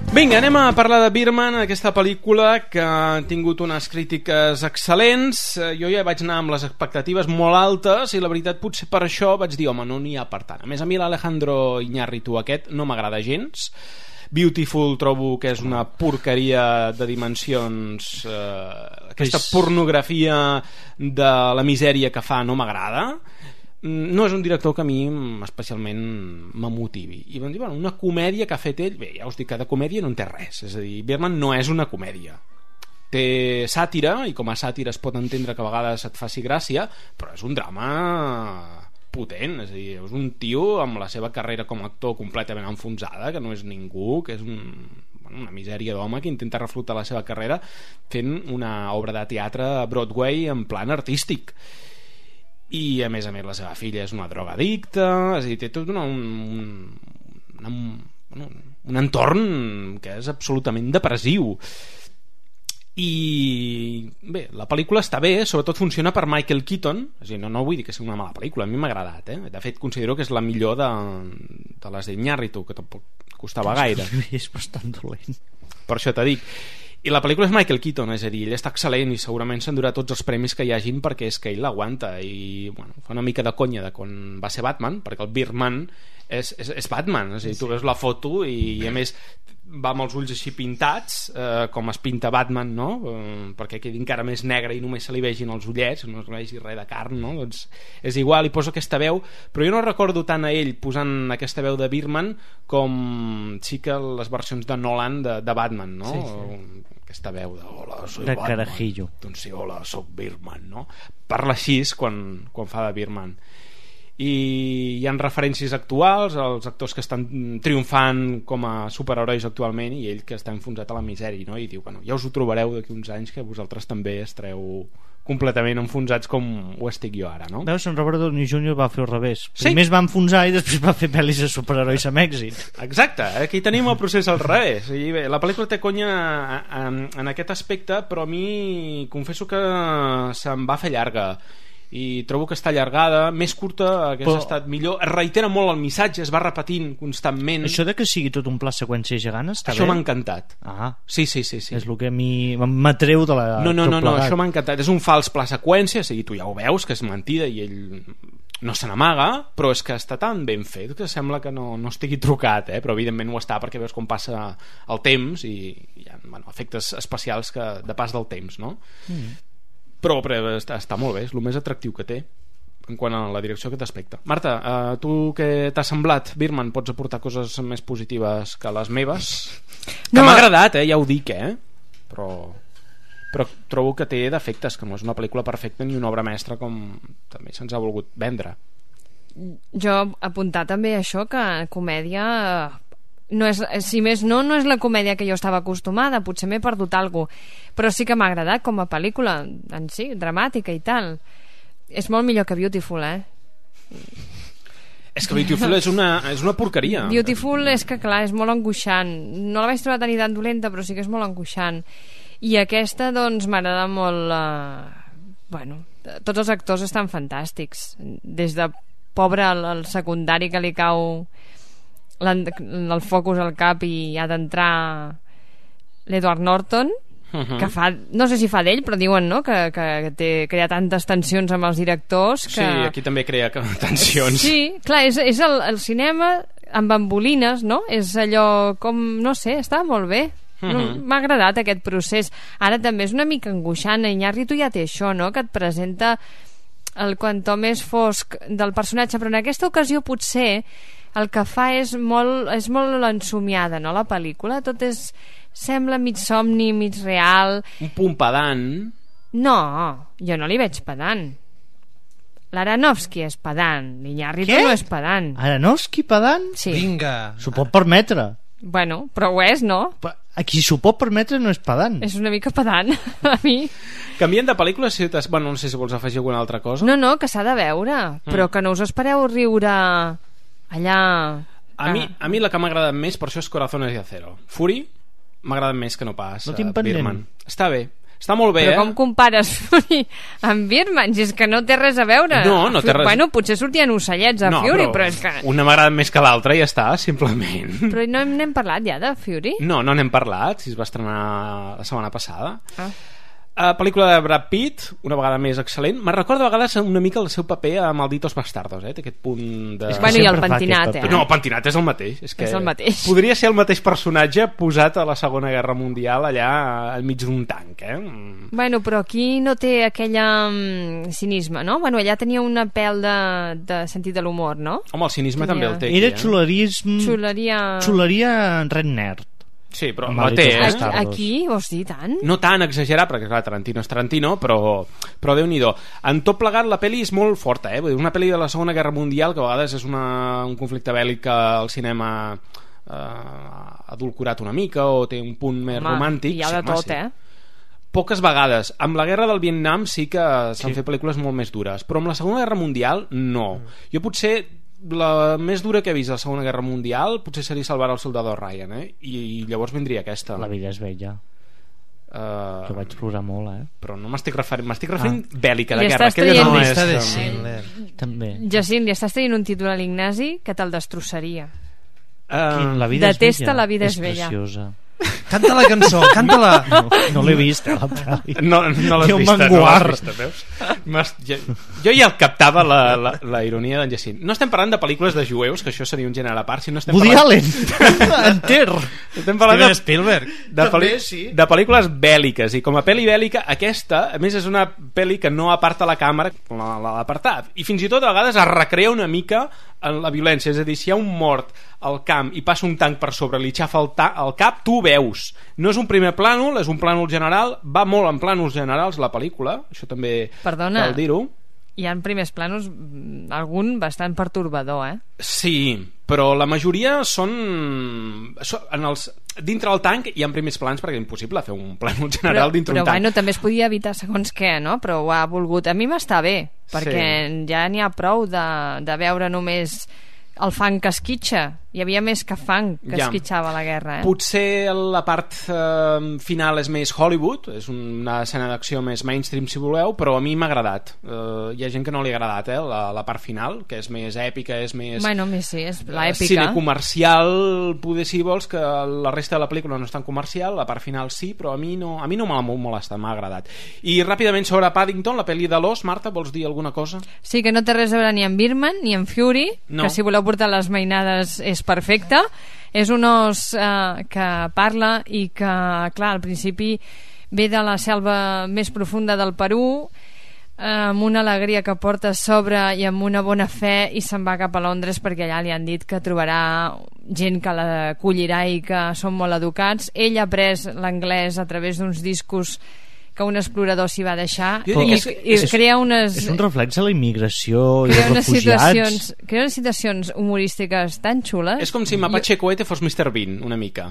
S4: Vinga, anem a parlar de Birdman, aquesta pel·lícula que ha tingut unes crítiques excel·lents. Jo ja vaig anar amb les expectatives molt altes i la veritat potser per això vaig dir, home, no n'hi ha per tant. A més, a mi l'Alejandro Iñárritu aquest no m'agrada gens. Beautiful trobo que és una porqueria de dimensions. Aquesta pornografia de la misèria que fa no m'agrada. No és un director que a mi especialment m'emotivi. I vam dir, bueno, una comèdia que ha fet ell, bé, ja us dic que de comèdia no en té res, és a dir, Birdman no és una comèdia, té sàtira, i com a sàtira es pot entendre que a vegades et faci gràcia, però és un drama potent, és a dir, és un tio amb la seva carrera com a actor completament enfonsada, que no és ningú, que és una misèria d'home que intenta reflotar la seva carrera fent una obra de teatre a Broadway en plan artístic. I a més la seva filla és una drogadicta, és a dir, té tot un entorn que és absolutament depressiu. I bé, la pel·lícula està bé, sobretot funciona per Michael Keaton, és a dir, no vull dir que sigui una mala pel·lícula, a mi m'ha agradat, de fet considero que és la millor de les d'Iñárritu, que tampoc costava gaire.
S6: És bastant dolent.
S4: Per això t'ho dic. I la pel·lícula és Michael Keaton, és a dir, ell està excel·lent i segurament s'endurà tots els premis que hi hagin perquè és que ell l'aguanta i bueno, fa una mica de conya de quan va ser Batman, perquè el Birdman és Batman, és a dir, tu veus la foto i a més va amb els ulls així pintats, com es pinta Batman, no? Perquè quedi encara més negre i només se li vegin els ullets, no es vegi res de carn, no? Doncs és igual, li poso aquesta veu, però jo no recordo tant a ell posant aquesta veu de Birdman com sí que les versions de Nolan de Batman, no? Sí. Aquesta veu de hola, soy
S6: de
S4: Batman,
S6: carajillo.
S4: doncs sí, hola, soc Birdman, no? Parla així quan fa de Birdman. I hi ha referències actuals, els actors que estan triomfant com a superherois actualment i ell que està enfonsat a la misèria, no? I diu, bueno, ja us ho trobareu d'aquí uns anys que vosaltres també estareu completament enfonsats com ho estic jo ara, no?
S6: Veus, en Robert Downey Jr. va fer al revés. Primer es va enfonsar i després va fer pel·lis de superherois amb èxit.
S4: Exacte, aquí tenim el procés al revés. I bé, la pel·lícula té conya en aquest aspecte, però a mi confesso que se'm va fer llarga i trobo que està allargada, més curta hagués estat millor, es reitera molt el missatge, es va repetint constantment.
S6: Això de que sigui tot un pla seqüència gegant està
S4: això
S6: bé?
S4: M'ha encantat. Sí.
S6: És el que a mi m'atreu de la...
S4: No, això m'ha encantat, és un fals pla seqüència, o sigui, tu ja ho veus que és mentida i ell no se n'amaga, però és que està tan ben fet que sembla que no estigui trucat, però evidentment ho està perquè veus com passa el temps i hi ha efectes especials de pas del temps, no? Però està molt bé, és el més atractiu que té en quant a la direcció aquest aspecte. Marta, tu què t'ha semblat Birdman? Pots aportar coses més positives que les meves? Que m'ha agradat, ja ho dic, però trobo que té defectes, que no és una pel·lícula perfecta ni una obra mestra com també se'ns ha volgut vendre.
S5: Jo apuntar també això, que comèdia no és, si més no és la comèdia que jo estava acostumada, potser m'he perdut alguna cosa, però sí que m'ha agradat com a pel·lícula en si, dramàtica i tal. És molt millor que Beautiful,
S4: És que Beautiful és una porqueria.
S5: Beautiful és que clar, és molt angoixant, no la vaig trobar tan dolenta, però sí que és molt angoixant. I aquesta doncs m'agrada molt tots els actors estan fantàstics, des de pobre el secundari que li cau el focus al cap i ha d'entrar l'Edward Norton, que fa, no sé si fa d'ell, però diuen, no?, que crea tantes tensions amb els directors que...
S4: Sí, aquí també crea tensions.
S5: Sí, clar, és el cinema amb bambolines, no? És allò com, no sé, està molt bé. M'ha agradat aquest procés. Ara també és una mica angoixant. Iñárritu ja té això, no?, que et presenta el quanto més fosc del personatge, però en aquesta ocasió potser el que fa és molt ensomiada, no?, la pel·lícula. Tot sembla mig somni, mig real.
S4: Un punt pedant.
S5: No, jo no li veig pedant. L'Aronofsky és pedant, l'Iñárritu no és pedant.
S6: Aronofsky pedant?
S5: Sí.
S7: Vinga.
S6: S'ho pot permetre.
S5: Bueno, però ho és, no?
S6: A qui s'ho pot permetre no és pedant.
S5: És una mica pedant, a mi.
S4: Canvient de pel·lícula, bueno, no sé si vols afegir alguna altra cosa.
S5: No, que s'ha de veure, però que no us espereu riure allà...
S4: A mi la que m'ha agradat més, per això és Corazones de Acero. Fury m'ha agradat més que no pas Birdman. Està bé. Està molt bé,
S5: però com compares Fury amb Birdman? Si és que no té res a veure.
S4: No té res.
S5: Bueno, potser sortien ocellets a Fury, però és que...
S4: Una m'agrada més que l'altra i ja està, simplement.
S5: Però no n'hem parlat ja de Fury?
S4: No n'hem parlat, si es va estrenar la setmana passada. Pel·lícula de Brad Pitt, una vegada més excel·lent. Me'n recorda a vegades una mica el seu paper a Malditos Bastardos, té aquest punt de...
S5: Bueno, i el pentinat,
S4: No, el pentinat és el mateix.
S5: És el mateix.
S4: Podria ser el mateix personatge posat a la Segona Guerra Mundial allà al mig d'un tanc,
S5: Bueno, però aquí no té aquella cinisme, no? Bueno, allà tenia una pèl de sentit de l'humor, no?
S4: Home, el cinisme també el té.
S6: Era xulerisme... Xuleria red nerd.
S4: Sí, però la té,
S5: Aquí, vols dir tant?
S4: No tan exagerat, perquè clar, Tarantino és Tarantino, però Déu-n'hi-do. En tot plegat, la pel·li és molt forta, una pel·li de la Segona Guerra Mundial, que a vegades és un conflicte bèl·lic que el cinema adulcorat una mica, o té un punt més romàntic.
S5: Hi ha de tot,
S4: Poques vegades. Amb la guerra del Vietnam sí que s'han fet pel·lícules molt més dures, però amb la Segona Guerra Mundial, no. Jo potser... la més dura que he vist a la Segona Guerra Mundial potser seria Salvar el soldado Ryan, i llavors vindria aquesta.
S6: La vida és bella. Jo vaig plorar molt,
S4: però no m'estic referint bèl·lica de guerra.
S6: També.
S5: Jacint, li estàs traient un títol a l'Ignasi que te'l destrossaria.
S6: La vida
S5: Detesta
S6: és bella.
S5: La vida és bella.
S6: Preciosa.
S7: Canta la cançó, canta-la.
S6: No l'he vist, la pel·li.
S4: No l'has vista, veus? Jo ja captava la ironia d'en Jacint. No estem parlant de pel·lícules de jueus, que això seria un gènere a part, sinó estem
S6: Woody Allen! Enter!
S4: Estem parlant de
S7: Spielberg.
S4: De pel·lícules bèl·liques, i com a pel·li bèl·lica, aquesta, a més, és una pel·li que no aparta la càmera, l'ha d'apartar. I fins i tot a vegades es recrea una mica en la violència, és a dir, si hi ha un mort al camp i passa un tanc per sobre, li xafa el cap, tu ho veus. No és un primer plànol, és un plànol general, va molt en plànols generals la pel·lícula, això també cal dir-ho.
S5: Hi ha primers plànols, algun bastant pertorbador,
S4: Sí, però la majoria són dintre el tanc hi ha primers plans, perquè és impossible fer un plànol general dintre un tanc.
S5: Però bueno, també es podia evitar segons què, no? Però ho ha volgut. A mi m'està bé, perquè ja n'hi ha prou de veure només el fang que esquitxa. Hi havia més que fang que esquitxava la guerra,
S4: Potser la part final és més Hollywood, és una escena d'acció més mainstream, si voleu, però a mi m'ha agradat. Hi ha gent que no li ha agradat, la part final, que és més èpica, és més...
S5: Bueno, sí, és l'èpica.
S4: Cine comercial, poder, si vols, que la resta de la pel·lícula no és tan comercial, la part final sí, però a mi no m'ha molestat, m'ha agradat. I ràpidament sobre Paddington, la pel·li de l'os, Marta, vols dir alguna cosa?
S5: Sí, que no té res a veure ni amb Birdman ni amb Fury, que si voleu portar les mainades és perfecte. És un os que parla i que, clar, al principi ve de la selva més profunda del Perú, amb una alegria que porta a sobre i amb una bona fe, i se'n va cap a Londres perquè allà li han dit que trobarà gent que l'acollirà i que són molt educats. Ell ha après l'anglès a través d'uns discos que un explorador s'hi va deixar i crea unes...
S6: És un reflex de la immigració i dels refugiats.
S5: Crea unes situacions humorístiques tan xules.
S4: És com si Mapache Cohete fos Mr. Bean, una mica.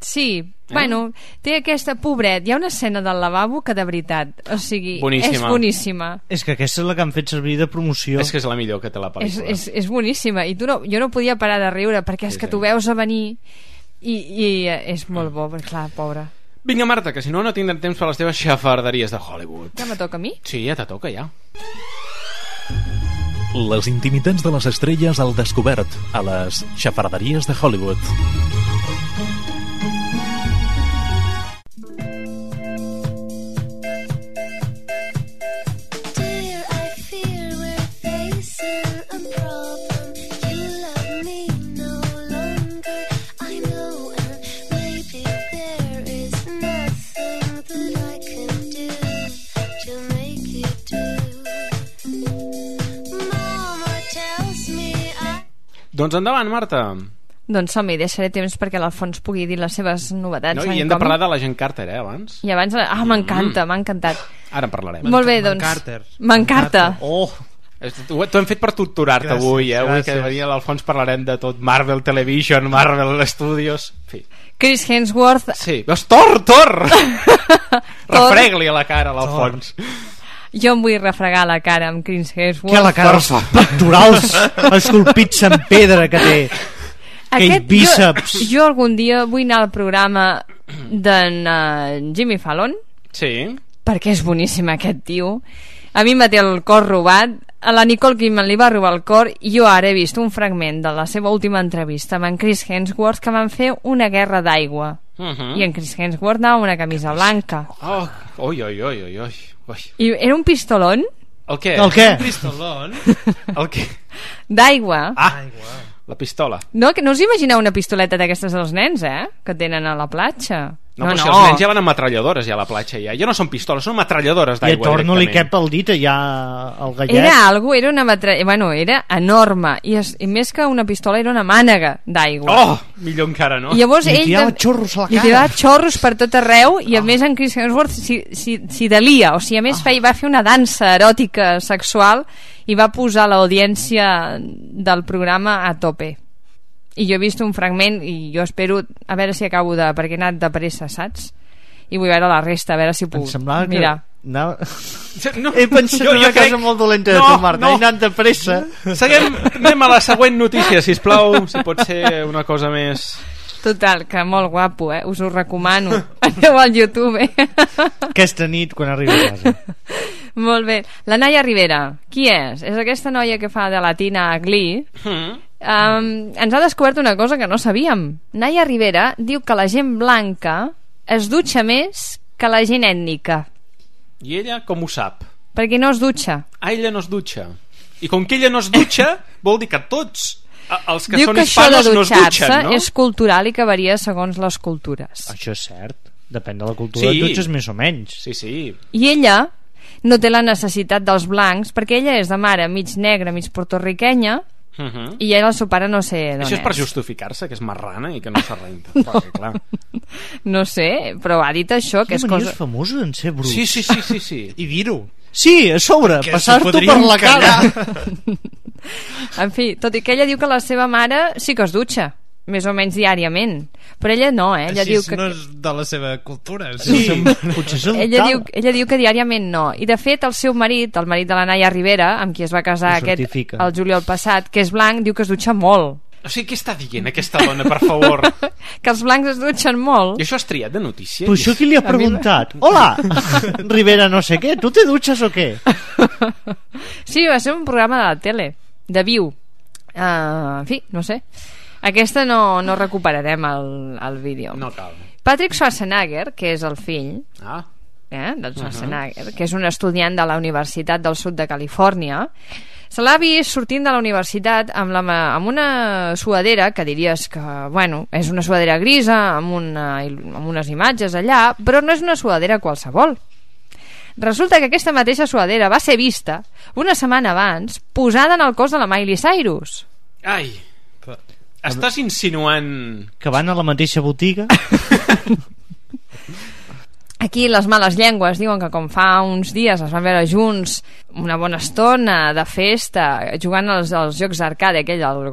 S5: Sí, bueno, té aquesta... Pobret, hi ha una escena del lavabo que de veritat, o sigui, és boníssima.
S6: És que aquesta és la que han fet servir de promoció.
S4: És que és la millor que té la pel·lícula.
S5: És boníssima, i jo no podia parar de riure, perquè és que tu veus a venir i és molt bo, perquè clar, pobra.
S4: Vinga, Marta, que si no tindrem temps per les teves xafarderies de Hollywood.
S5: Ja me toca a mi?
S4: Sí, ja te toca, ja.
S8: Les intimitats de les estrelles al descobert a les xafarderies de Hollywood.
S4: Doncs endavant, Marta.
S5: Doncs som-hi, deixaré temps perquè l'Alfons pugui dir les seves novetats.
S4: No, i hem de parlar de la Gent Carter, abans.
S5: I abans... m'encanta, m'ha encantat.
S4: Ara en parlarem.
S5: Molt bé, doncs... M'encanta.
S6: Oh,
S4: T'ho hem fet per torturar-te avui, Avui que venia l'Alfons parlarem de tot. Marvel Television, Marvel Studios... En fi.
S5: Chris Hemsworth...
S4: Sí, veus, Thor! Refrega-li a la cara a l'Alfons.
S5: Jo em vull refregar la cara amb Chris Hemsworth.
S6: Que la cara, els pectorals esculpits en pedra que té. Aquell bíceps.
S5: Jo algun dia vull anar al programa d'en Jimmy Fallon.
S4: Sí.
S5: Perquè és boníssim aquest tio. A mi em va té el cor robat. A la Nicole Kidman li va robar el cor i jo ara he vist un fragment de la seva última entrevista amb en Chris Hemsworth que van fer una guerra d'aigua. I en Chris Hemsworth anava amb una camisa blanca.
S4: Oi.
S5: I era un pistolón.
S4: El què?
S7: Un pistolón?
S4: El què?
S5: D'aigua.
S4: La pistola.
S5: No, que no us imagineu una pistoleta d'aquestes dels nens, que tenen a la platja.
S4: No, però si els nens ja van amb metralladores ja a la platja ja no són pistoles, són metralladores d'aigua.
S6: I a Thor no li cap el dit allà al gallet.
S5: Era una era enorme i més que una pistola era una mànega d'aigua.
S4: Millor encara, no?
S5: I llavors
S6: li tirava xorros a la cara.
S5: Li tirava xorros per tot arreu i a més en Chris Hemsworth s'hi delia, o sigui, a més va fer una dansa eròtica sexual i va posar l'audiència del programa a tope. I jo he vist un fragment i jo espero a veure si acabo perquè he anat de pressa, saps? I vull veure la resta, a veure si puc.
S6: Em semblava que...
S5: Mira.
S6: He pensat en una cosa molt dolenta de tu, Marta. He anat de pressa.
S4: Anem a la següent notícia, sisplau. Si pot ser una cosa més...
S5: Total, que molt guapo, us ho recomano. Aneu al YouTube.
S6: Aquesta nit, quan arribi a casa.
S5: Molt bé. La Naya Rivera, qui és? És aquesta noia que fa de latina a Glee. Ens ha descobert una cosa que no sabíem. Naya Rivera diu que la gent blanca es dutxa més que la gent ètnica.
S4: I ella com ho sap?
S5: Perquè no es dutxa.
S4: Ella no es dutxa. I com que ella no es dutxa, vol dir que tots els que
S5: diu
S4: són
S5: que
S4: hispanos no es dutxen, no?
S5: És cultural i que varia segons les cultures.
S6: Això és cert. Depèn de la cultura, et dutxes més o menys.
S4: Sí.
S5: I ella no té la necessitat dels blancs perquè ella és de mare mig negra, mig portorriquenya. I ella el seu pare no sé d'on és.
S4: Això és per justificar-se que és marrana i que no s'ha reintat. Clar.
S5: No sé, però ha dit això que és cosa...
S6: famosos en ser bruts.
S4: Sí.
S7: I dir-ho.
S6: Sí, a sobre, passar-t'ho per la cara.
S5: En fi, tot i que ella diu que la seva mare sí que es dutxa més o menys diàriament, però ella no, ella
S7: així
S5: diu que...
S7: no és de la seva cultura.
S6: Sí, potser és
S5: ella diu que diàriament no, i de fet el seu marit, el marit de la Naya Rivera, amb qui es va casar el juliol passat, que és blanc, diu que es dutxa molt.
S4: O sigui, què està dient aquesta dona, per favor?
S5: Que els blancs es dutxen molt.
S4: I això has triat de notícia?
S6: Però això qui li ha preguntat? Hola, Rivera no sé què, tu te dutxes o què?
S5: Sí, va ser un programa de la tele, de Viu. En fi, no sé. Aquesta no recuperarem el vídeo.
S4: No cal.
S5: Patrick Schwarzenegger, que és el fill del Schwarzenegger, que és un estudiant de la Universitat del Sud de Califòrnia, se l'ha vist sortint de la universitat amb una suadera que diries que, bueno, és una suadera grisa amb unes imatges allà, però no és una suadera qualsevol. Resulta que aquesta mateixa suadera va ser vista una setmana abans posada en el cos de la Miley Cyrus.
S4: Ai, estàs insinuant
S6: que van a la mateixa botiga?
S5: Aquí les males llengües diuen que com fa uns dies es van veure junts una bona estona de festa jugant als jocs arcade, aquell, el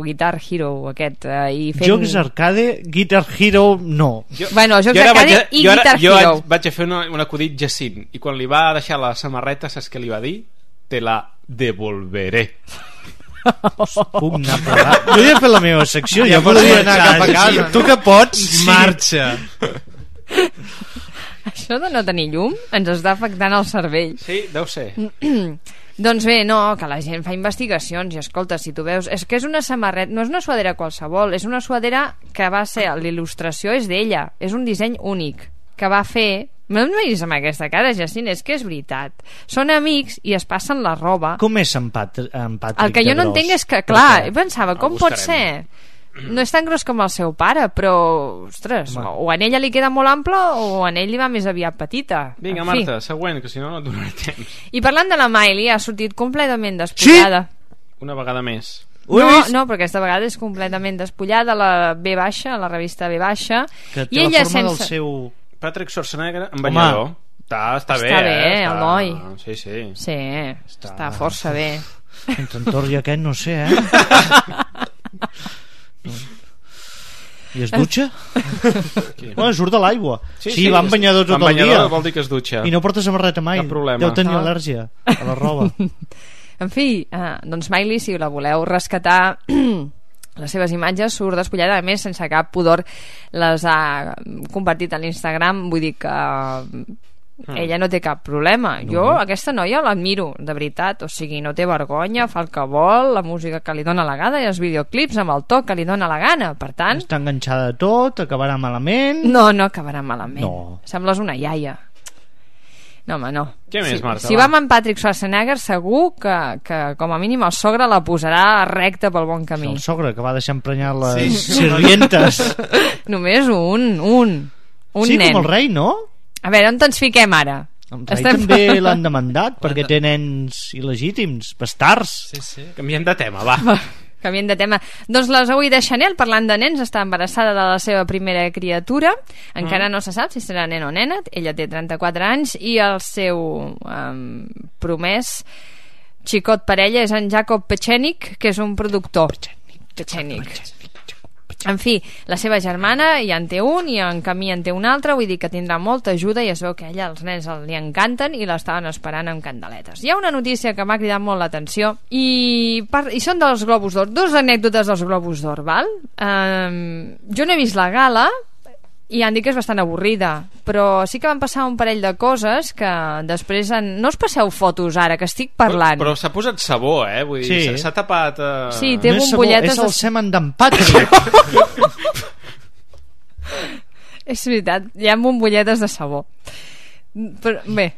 S5: Guitar Hero aquest, i fent...
S6: Jocs arcade, Guitar Hero no.
S5: Bueno, jocs arcade i Guitar Hero.
S4: Jo vaig a fer un acudit Jacint, i quan li va deixar la samarreta, saps què li va dir? Te la devolveré.
S6: Puc anar a pagar. Jo ja he fet la meva secció, ja podria anar cap a casa.
S7: Tu que pots, marxa.
S5: Això de no tenir llum ens està afectant el cervell.
S4: Sí, deu ser.
S5: Doncs bé, no, que la gent fa investigacions i escolta, si tu veus, és que és una samarreta, no és una suadera qualsevol, és una suadera que va ser, l'il·lustració és d'ella, és un disseny únic que va fer. No em miris amb aquesta cara, Jacint, és que és veritat. Són amics i es passen la roba.
S6: Com és en Patrick?
S5: El que jo no entenc és que, clar, pensava, com pot ser? No és tan gros com el seu pare, però, ostres, o en ella li queda molt ample o en ell li va més aviat petita.
S4: Vinga, Marta, següent, que si no no et donaré temps.
S5: I parlant de la Miley, ha sortit completament despullada.
S4: Sí? Una vegada més.
S5: No, però aquesta vegada és completament despullada a la B baixa, a la revista B baixa.
S6: Que té la forma del seu...
S4: Patrick Schwarzenegger en banyador. Està bé,
S5: Eloi.
S4: Sí.
S5: Sí, està força bé.
S6: Entre en Thor i aquest no sé, I es dutxa? Bueno, surt de l'aigua. Sí, va amb banyador tot el dia.
S4: Vol dir que es dutxa.
S6: I no porta samarreta mai.
S4: Cap problema.
S6: Deu tenir al·lèrgia a la roba.
S5: En fi, doncs Miley, si la voleu rescatar, les seves imatges surt despullada, a més sense cap pudor les ha compartit a l'Instagram, vull dir que ella no té cap problema. Jo aquesta noia l'admiro, de veritat, o sigui, no té vergonya, fa el que vol, la música que li dóna la gana i els videoclips amb el to que li dóna la gana, per tant...
S6: Està enganxada de tot, acabarà malament...
S5: No acabarà malament. Sembles una iaia. No, home, no.
S4: Què més, Marta?
S5: Si va amb en Patrick Schwarzenegger, segur que com a mínim el sogre la posarà recta pel bon camí.
S6: El sogre, que va deixar emprenyar les sirvientes.
S5: Només un nen.
S6: Com el rei, no?
S5: A veure, on ens fiquem ara?
S6: El rei també l'han demandat perquè té nens il·legítims, bastards.
S7: Sí.
S4: Canviem de tema, va.
S5: Canviem de tema. Doncs la Zoe de Chanel, parlant de nens, està embarassada de la seva primera criatura. Encara no se sap si serà nen o nena. Ella té 34 anys i el seu promès xicot per ella és en Jacob Pechenick, que és un productor. Pechenick. En fi, la seva germana ja en té un i en camí en té un altre, vull dir que tindrà molta ajuda i es veu que a ella els nens li encanten i l'estaven esperant amb candeletes. Hi ha una notícia que m'ha cridat molt l'atenció i són dels Globus d'Or, 2 anècdotes dels Globus d'Or, val? Jo no he vist la gala i han dit que és bastant avorrida, però sí que van passar un parell de coses que després no us passeu fotos ara, que estic parlant.
S4: Però s'ha posat sabó, vull dir, s'ha tapat...
S5: Sí, té bombolletes...
S6: És el semen d'en Patrick.
S5: És veritat, hi ha bombolletes de sabó. Però, bé...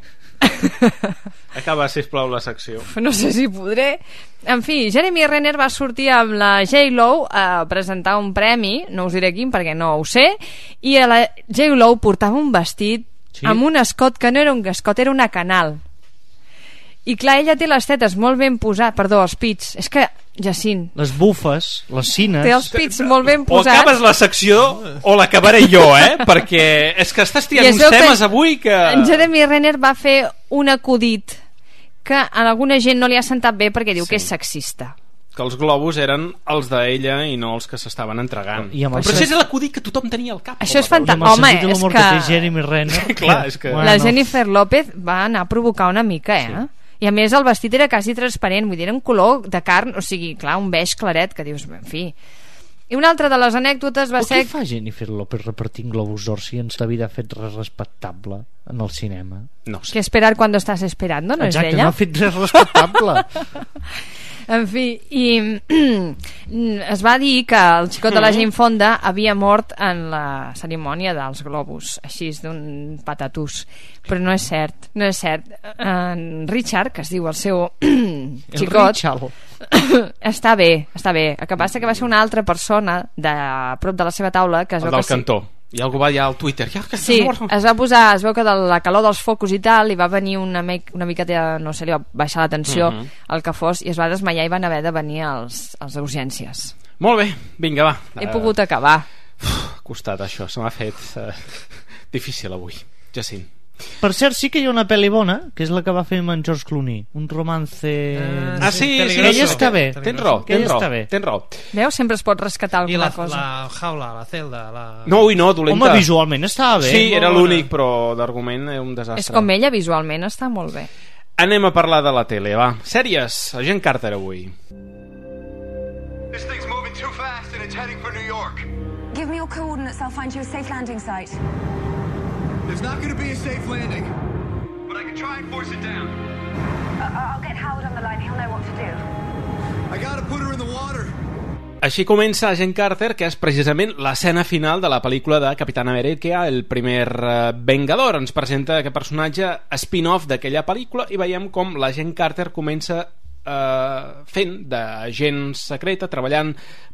S4: Acaba, sisplau, la secció.
S5: No sé si podré. En fi, Jeremy Renner va sortir amb la J-Lo a presentar un premi, no us diré quin perquè no ho sé, i la J-Lo portava un vestit amb un escot que no era un escot, era una canal. I clar, ella té les tetes molt ben posades, perdó, els pits, és que Jacint,
S6: les bufes, les cines,
S5: té els pits molt ben posats.
S4: O acabes la secció o l'acabaré jo, perquè és que estàs tirant uns temes avui que...
S5: En Jeremy Renner va fer un acudit que a alguna gent no li ha sentat bé perquè diu que és sexista,
S4: que els globus eren els d'ella i no els que s'estaven entregant. Però això és l'acudit que tothom tenia al cap.
S5: Això és fantàstic. Home, és que...
S6: té Jeremy Renner.
S4: Clar, és que...
S5: La Jennifer López va anar a provocar una mica, I a més el vestit era quasi transparent, vull dir, era un color de carn, o sigui, clar, un beix claret, que dius, en fi... I una altra de les anècdotes va ser...
S6: Què fa Jennifer López repartint globus d'or si en la vida ha fet res respectable en el cinema?
S4: No sé.
S5: Que esperar quan estàs esperant, no és
S6: exacte,
S5: ella?
S6: No ha fet res respectable.
S5: En fi, i es va dir que el xicot de la Jane Fonda havia mort en la cerimònia dels globus, així d'un patatús, però no és cert, no és cert. En Richard, que es diu el seu xicot, està bé. El que passa que va ser una altra persona de prop de la seva taula que es veu
S4: del
S5: que
S4: cantó. I algú va allà al Twitter.
S5: Sí, es va posar, es veu que de la calor dels focus i tal, li va venir una miqueta, no sé, li va baixar la tensió, el que fos, i es va desmaiar i van haver de venir als urgències.
S4: Molt bé, vinga, va.
S5: He pogut acabar.
S4: Ha costat això, se m'ha fet difícil avui, Jacint.
S6: Per cert, sí que hi ha una pel·li bona, que és la que va fer amb en George Clooney, un romance...
S4: sí,
S6: ella està bé.
S4: Tens raó.
S5: Veus, sempre es pot rescatar alguna cosa.
S7: I la jaula, la celda...
S4: No, dolenta.
S6: Home, visualment estava bé.
S4: Sí, era l'únic, però d'argument era un desastre.
S5: És com ella, visualment està molt bé.
S4: Anem a parlar de la tele, va. Sèries, Agent Carter avui.
S19: This thing's moving too fast and it's heading for New York.
S20: Give me your coordinates, I'll find you a safe landing site.
S19: There's not going to be a safe landing, but I can try and force it down.
S20: I'll get Howard on the line, he'll know what to do.
S19: I gotta put her in the water.
S4: Així comença Agent Carter, que és precisament l'escena final de la pel·lícula de Capitán América, el primer Vengador. Ens presenta aquest personatge spin-off d'aquella pel·lícula i veiem com l'Agent Carter comença fent d'agent secreta, treballant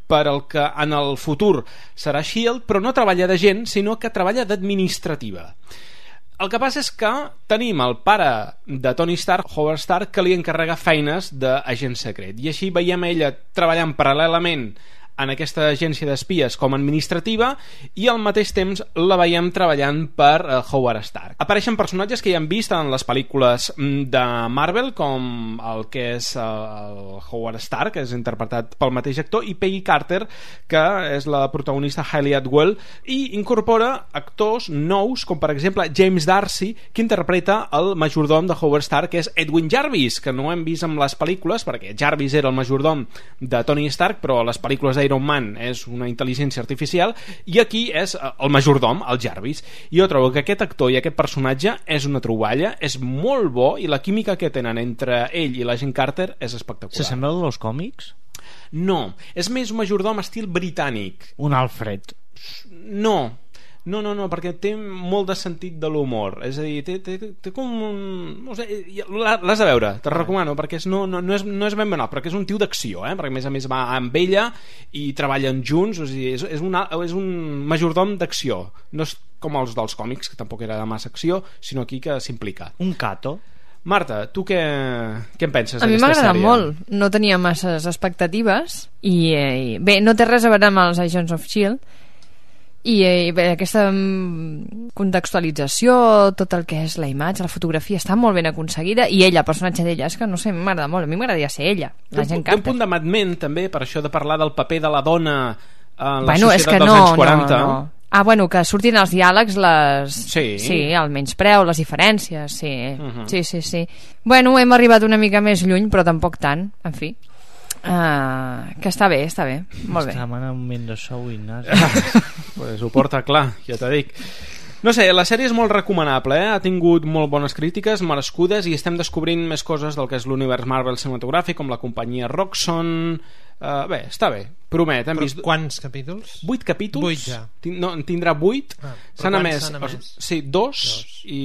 S4: per el que en el futur serà S.H.I.E.L.D., però no treballa d'agent, sinó que treballa d'administrativa. El que passa és que tenim el pare de Tony Stark, Howard Stark, que li encarrega feines d'agent secret, i així veiem ella treballant paral·lelament en aquesta agència d'espies com a administrativa, i al mateix temps la veiem treballant per Howard Stark. Apareixen personatges que ja hem vist en les pel·lícules de Marvel, com el que és el Howard Stark, que és interpretat pel mateix actor, i Peggy Carter, que és la protagonista Hayley Atwell, i incorpora actors nous, com per exemple James Darcy, que interpreta el majordom de Howard Stark, que és Edwin Jarvis, que no hem vist en les pel·lícules, perquè Jarvis era el majordom de Tony Stark, però a les pel·lícules d'Iron Man és una intel·ligència artificial, i aquí és el majordom, el Jarvis. I jo trobo que aquest actor i aquest personatge és una troballa, és molt bo, i la química que tenen entre ell i l'agent Carter és espectacular.
S6: ¿Se sembla dels còmics?
S4: No, és més un majordom estil britànic.
S6: Un Alfred?
S4: No, perquè té molt de sentit de l'humor, és a dir, té com un... no sé, l'has de veure, te recomano, perquè no és ben banal, perquè és un tio d'acció, perquè a més va amb ella i treballen junts, o sigui, és un majordom d'acció, no és com els dels còmics, que tampoc era de massa acció, sinó aquí que s'implica.
S6: Un Cato.
S4: Marta, tu què en penses d'aquesta sèrie?
S5: A mi m'ha agradat molt, no tenia masses expectatives i bé, no té res a veure amb els Agents of S.H.I.E.L.D. i bé, aquesta contextualització, tot el que és la imatge, la fotografia està molt ben aconseguida, i ella, el personatge d'ella, és que no sé, m'agrada molt, a mi m'agradaria ser ella, la gent Carter.
S4: Té un punt de Mad Men també, per això de parlar del paper de la dona en la societat dels anys 40.
S5: No. Bueno, que surtin els diàlegs,
S4: sí,
S5: el menyspreu, les diferències, sí. Sí. Bueno, hem arribat una mica més lluny, però tampoc tant, en fi. Que està bé, molt bé.
S6: Està en un moment de sou, Ignasi.
S4: Pues ho porta clar, ja t'ho dic. No sé, la sèrie és molt recomanable, ha tingut molt bones crítiques, merescudes, i estem descobrint més coses del que és l'univers Marvel cinematogràfic, com la companyia Roxxon. Bé, està bé, promet.
S7: Quants capítols?
S4: 8 capítols.
S7: 8 ja.
S4: No, en tindrà 8. S'han emès. Sí, 2, i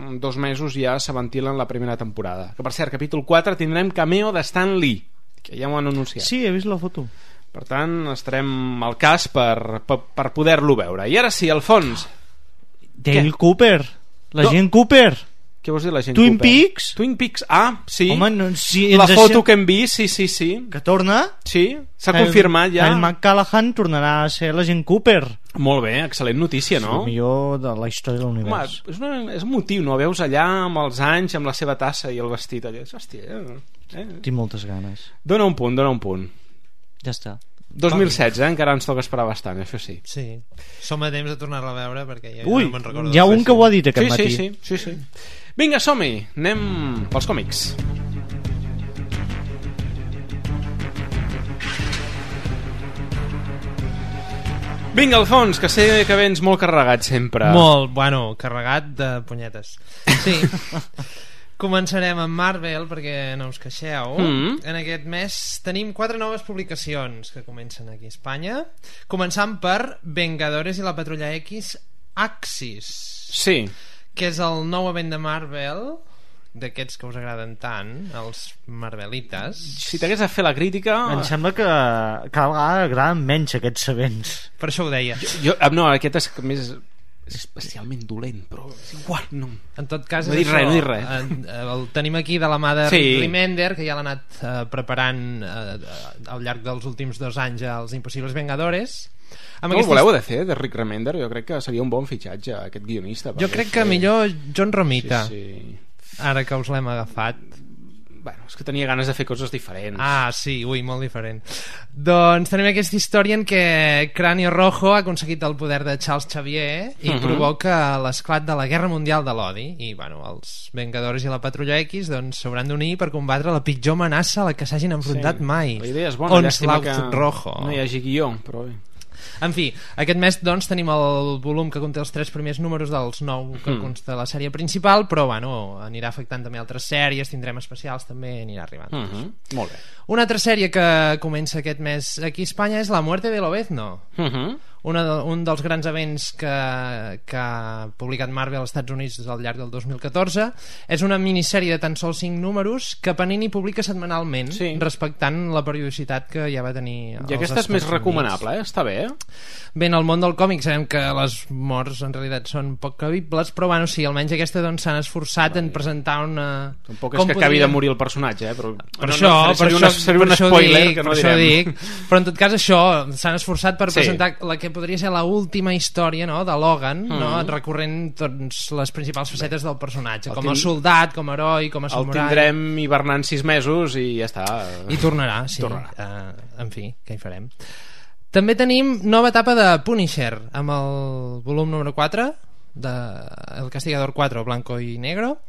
S4: en 2 mesos ja se ventilen la primera temporada. Que per cert, capítol 4 tindrem cameo de Stan Lee, que ja ho han anunciat.
S6: Sí, he vist la foto.
S4: Per tant, estarem al cas per poder-lo veure. I ara sí, Alfons.
S6: Dale Cooper, l'agent Cooper.
S4: Què vols dir, l'agent
S6: Twin
S4: Cooper?
S6: Peaks?
S4: Twin Peaks, sí.
S6: Home, no, si
S4: la foto que hem vist, sí.
S6: Que torna?
S4: Sí, s'ha confirmat ja.
S6: El McCallaghan tornarà a ser l'agent Cooper.
S4: Molt bé, excel·lent notícia, no?
S6: El millor de la història de l'univers.
S4: Home, és un motiu, no? Veus allà amb els anys, amb la seva tassa i el vestit allà. Hòstia,
S6: Tinc moltes ganes.
S4: Dóna un punt.
S6: Ja està.
S4: 2016, encara ens toca esperar bastant, això sí.
S7: Sí, som a temps de tornar-la a veure, perquè ja
S6: no
S7: me'n recordo.
S6: Hi ha un que ho ha dit aquest matí.
S4: Sí. Vinga, som-hi, anem pels còmics. Vinga, Alfons, que sé que vens molt carregat sempre.
S7: Molt, carregat de punyetes. Sí. Començarem amb Marvel, perquè no us queixeu. En aquest mes tenim 4 noves publicacions que comencen aquí a Espanya, començant per Vengadores i la Patrulla X Axis.
S4: Sí. Que
S7: és el nou event de Marvel, d'aquests que us agraden tant, els Marvelites.
S4: Si t'hagués de fer la crítica...
S6: Em sembla que cada vegada agraden menys aquests events.
S7: Per això ho deia.
S4: No, aquest és més... és especialment dolent, però és igual, no.
S7: En tot cas,
S4: no dic res.
S7: El tenim aquí de la mà de Rick Remender, que ja l'ha anat preparant al llarg dels últims 2 anys als Impossibles Vengadores.
S4: No el voleu de fer, de Rick Remender? Jo crec que seria un bon fitxatge, aquest guionista.
S7: Jo crec que millor John Romita, ara que us l'hem agafat.
S4: Bueno, és que tenia ganes de fer coses diferents.
S7: Sí, molt diferent. Doncs tenim aquesta història en què Cráneo Rojo ha aconseguit el poder de Charles Xavier i provoca l'esclat de la Guerra Mundial de l'Odi, i els Vengadores i la Patrulla X s'hauran d'unir per combatre la pitjor amenaça a la que s'hagin enfrontat mai.
S4: La idea és bona,
S7: Onslaught Rojo.
S4: No hi hagi guió, però bé.
S7: En fi, aquest mes tenim el volum que conté els 3 primers números dels 9 que consta la sèrie principal, però anirà afectant també altres sèries, tindrem especials també, anirà arribant.
S4: Molt bé.
S7: Una altra sèrie que comença aquest mes aquí a Espanya és La muerte de Lobezno, un dels grans events que ha publicat Marvel als Estats Units al llarg del 2014. És una minissèrie de tan sols 5 números que Panini publica setmanalment, respectant la periodicitat que ja va tenir
S4: I aquesta és més recomanable, està bé,
S7: Bé, en el món del còmic sabem que les morts en realitat són poc creïbles, però bueno, sí, almenys aquesta doncs s'han esforçat en presentar una...
S4: Tampoc és que acabi de morir el personatge, però...
S7: Per això dic. Però en tot cas això, s'han esforçat per presentar la que podria ser l'última història, no?, de Logan, no?, recorrent doncs, les principals facetes del personatge, com a soldat, com a heroi, com a samurai.
S4: El tindrem hivernant 6 mesos i ja està.
S7: I tornarà, sí. En fi, què hi farem? També tenim nova etapa de Punisher, amb el volum número 4 de El Castigador 4, Blanco y Negro.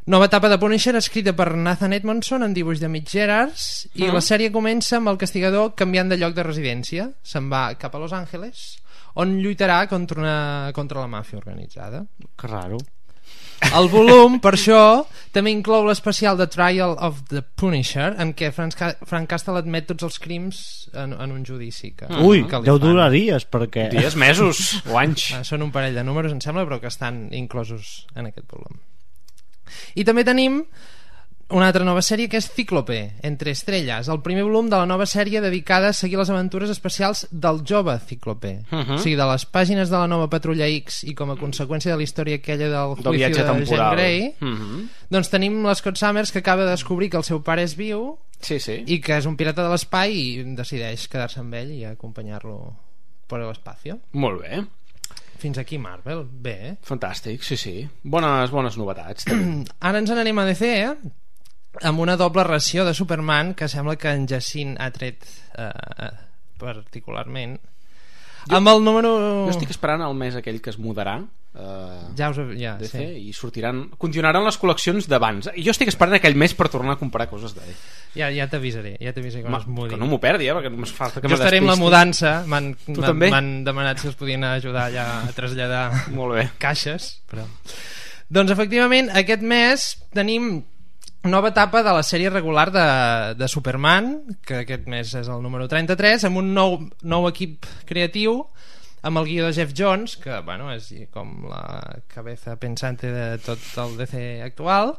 S7: Nova etapa de Punisher escrita per Nathan Edmondson en dibuix de Mitch Gerards, i la sèrie comença amb el Castigador canviant de lloc de residència. Se'n va cap a Los Angeles, on lluitarà contra la màfia organitzada.
S4: Que raro.
S7: El volum, per això, també inclou l'especial The Trial of the Punisher, en què Frank Castle admet tots els crims en un judici que
S6: deu durar dies, perquè...
S4: Dies, mesos o anys.
S7: Són un parell de números, em sembla, però que estan inclosos en aquest volum. I també tenim una altra nova sèrie que és Cíclope, Entre Estrelles, el primer volum de la nova sèrie dedicada a seguir les aventures especials del jove Cíclope. O sigui, de les pàgines de la nova Patrulla X i com a conseqüència de la història aquella del juicio de Jean Grey, doncs tenim l'Scott Summers, que acaba de descobrir que el seu pare és viu i que és un pirata de l'espai i decideix quedar-se amb ell i acompanyar-lo per l'espacio.
S4: Molt bé.
S7: Fins aquí Marvel, bé.
S4: Fantàstic, sí. Bones novetats.
S7: Ara ens n'anem a DC, amb una doble ració de Superman que sembla que en Jacint ha tret particularment. Amb el número...
S4: Jo estic esperant el mes aquell que es mudarà DC, i continuaran les col·leccions d'abans. Jo estic esperant aquell mes per tornar a comprar coses d'ell.
S7: Ja t'avisaré quan es mudi.
S4: Que no m'ho perdi, perquè no m'es falta que
S7: jo estaré amb la mudança. M'han demanat si els podien ajudar ja a traslladar caixes, però... Doncs efectivament aquest mes tenim nova etapa de la sèrie regular de Superman, que aquest mes és el número 33, amb un nou equip creatiu, amb el guió de Jeff Jones, que bueno, és com la cabeza pensante de tot el DC actual,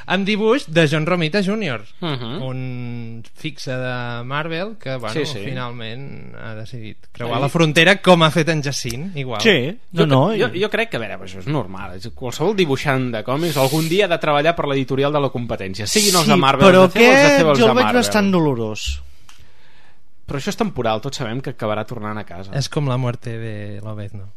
S7: amb dibuix de John Romita Jr., un fixe de Marvel que bueno, finalment ha decidit creuar la frontera, com ha fet en Jacint, igual.
S4: Jo crec que, a veure, això és normal. Qualsevol dibuixant de còmics algun dia ha de treballar per l'editorial de la competència, siguin els de Marvel,
S6: però aquest jo el veig bastant dolorós.
S4: Però això és temporal, tots sabem que acabarà tornant a casa.
S7: És com la muerte de Lobezno,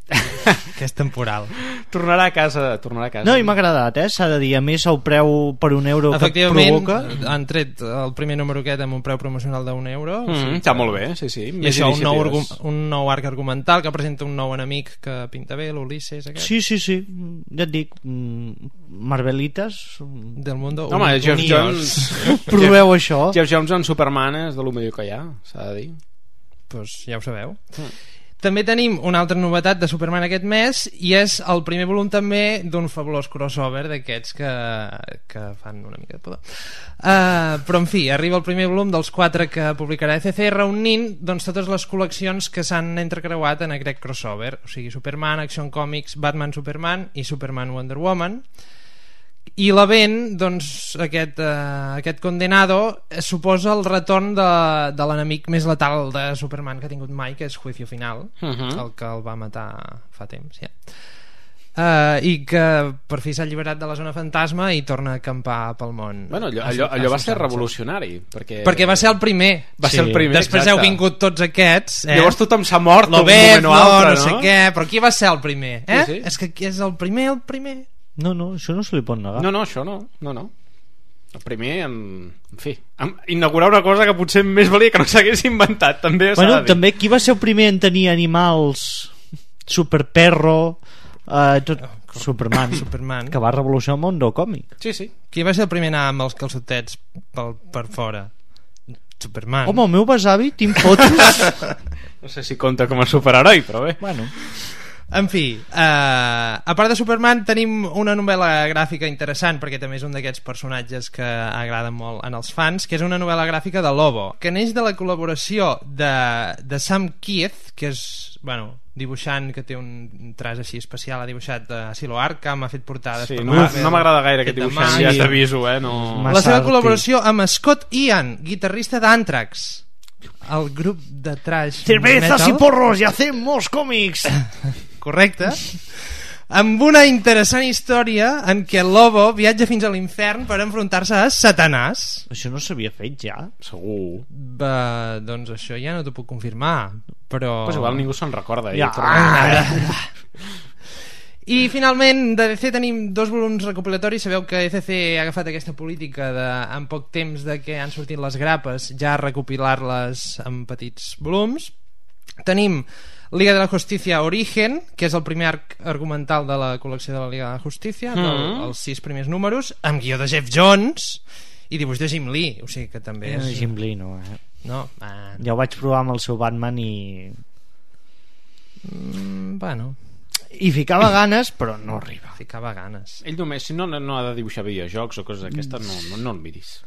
S7: que és temporal.
S4: Tornarà a casa.
S6: No, i m'ha agradat, s'ha de dir. A més, el preu per €1 que et provoca...
S7: Han tret el primer número aquest amb un preu promocional d'€1.
S4: Està molt bé, sí.
S7: I això, un nou arc argumental que presenta un nou enemic que pinta bé, l'Ulisses aquest.
S6: Sí. Ja et dic, Marvelites
S7: del mundo.
S4: Home, Jeff Jones...
S6: Proveu això.
S4: Jeff Jones en Superman és de lo millor que hi ha, s'ha de dir.
S7: Doncs ja ho sabeu. També tenim una altra novetat de Superman aquest mes, i és el primer volum també d'un fabulós crossover d'aquests que fan una mica de pudor. Però en fi, arriba el primer volum dels 4 que publicarà ECC, reunint doncs totes les col·leccions que s'han entrecreuat en aquest crossover, o sigui, Superman, Action Comics, Batman Superman i Superman Wonder Woman. I l'event, doncs, aquest Condenado suposa el retorn de l'enemic més letal de Superman que ha tingut mai, que és Juicio Final, el que el va matar fa temps, i que per fi s'ha alliberat de la zona fantasma i torna a acampar pel món.
S4: Bueno, allò va ser revolucionari, perquè
S7: va ser el primer. Després heu vingut tots aquests,
S4: llavors tothom s'ha mort
S7: un moment o altre, no sé què, però qui va ser el primer? És que qui és el primer?
S6: No, això no se li pot negar.
S4: No, això no. El primer, en fi, inaugurar una cosa que potser més valia que no s'hagués inventat, també.
S6: Bueno, també qui va ser el primer en tenir animals? Superperro, Superman, que va revolucionar el món del còmic.
S7: Sí. Qui va ser el primer a anar amb els calçotets per fora? Superman.
S6: Home, el meu besavi, tinc fotos.
S4: No sé si compta com a superheroi, però bé.
S6: Bueno.
S7: En fi, a part de Superman tenim una novel·la gràfica interessant, perquè també és un d'aquests personatges que agraden molt en els fans, que és una novel·la gràfica de Lobo, que neix de la col·laboració de Sam Keith, que és, dibuixant que té un traç així especial, ha dibuixat Silo Arkham, ha fet portades
S4: no m'agrada gaire aquest dibuixant, ja t'aviso,
S7: la seva col·laboració amb Scott Ian, guitarrista d'Anthrax, el grup de thrash
S6: cervezas
S7: metal.
S6: y porros y hacemos cómics.
S7: Correcte. Amb una interessant història en què el Lobo viatja fins a l'infern per enfrontar-se a Satanàs.
S6: Això no s'havia fet ja?
S4: Segur.
S7: Doncs això ja no t'ho puc confirmar, però...
S4: Pues igual ningú se'n recorda.
S7: Ja. I finalment de DC tenim 2 volums recopilatoris. Sabeu que DC ha agafat aquesta política de, en poc temps de que han sortit les grapes, ja recopilar-les en petits volums. Tenim Liga de la Justicia Origen, que és el primer arc argumental de la col·lecció de la Liga de la Justicia, els 6 primers números, amb guió de Jeff Jones i dibuix de Jim Lee, o sigui que també és...
S6: Jim Lee no,
S7: No?
S6: Ja ho vaig provar amb el seu Batman i...
S7: Bueno...
S6: I ficava ganes, però no arriba.
S7: Ficava ganes.
S4: Ell només, si no ha de dibuixar videojocs o coses d'aquestes, no el miris.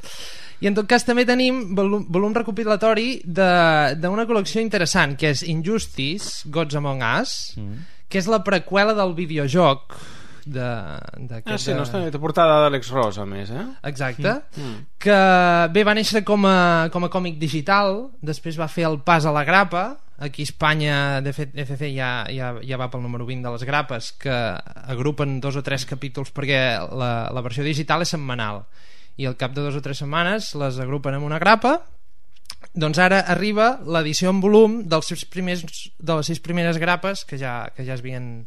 S7: I en tot cas també tenim volum recopilatori d'una col·lecció interessant, que és Injustice, Gods Among Us, que és la preqüela del videojoc
S4: sí, no està portada d'Àlex Ross, a més,
S7: Exacte. Que bé, va néixer com a còmic digital, després va fer el pas a la grapa. Aquí a Espanya, de fet, ECC ja va pel número 20 de les grapes, que agrupen 2 o 3 capítols, perquè la versió digital és setmanal, i al cap de 2 o 3 setmanes les agrupen en una grapa. Doncs ara arriba l'edició en volum de les 6 primeres grapes que ja es havien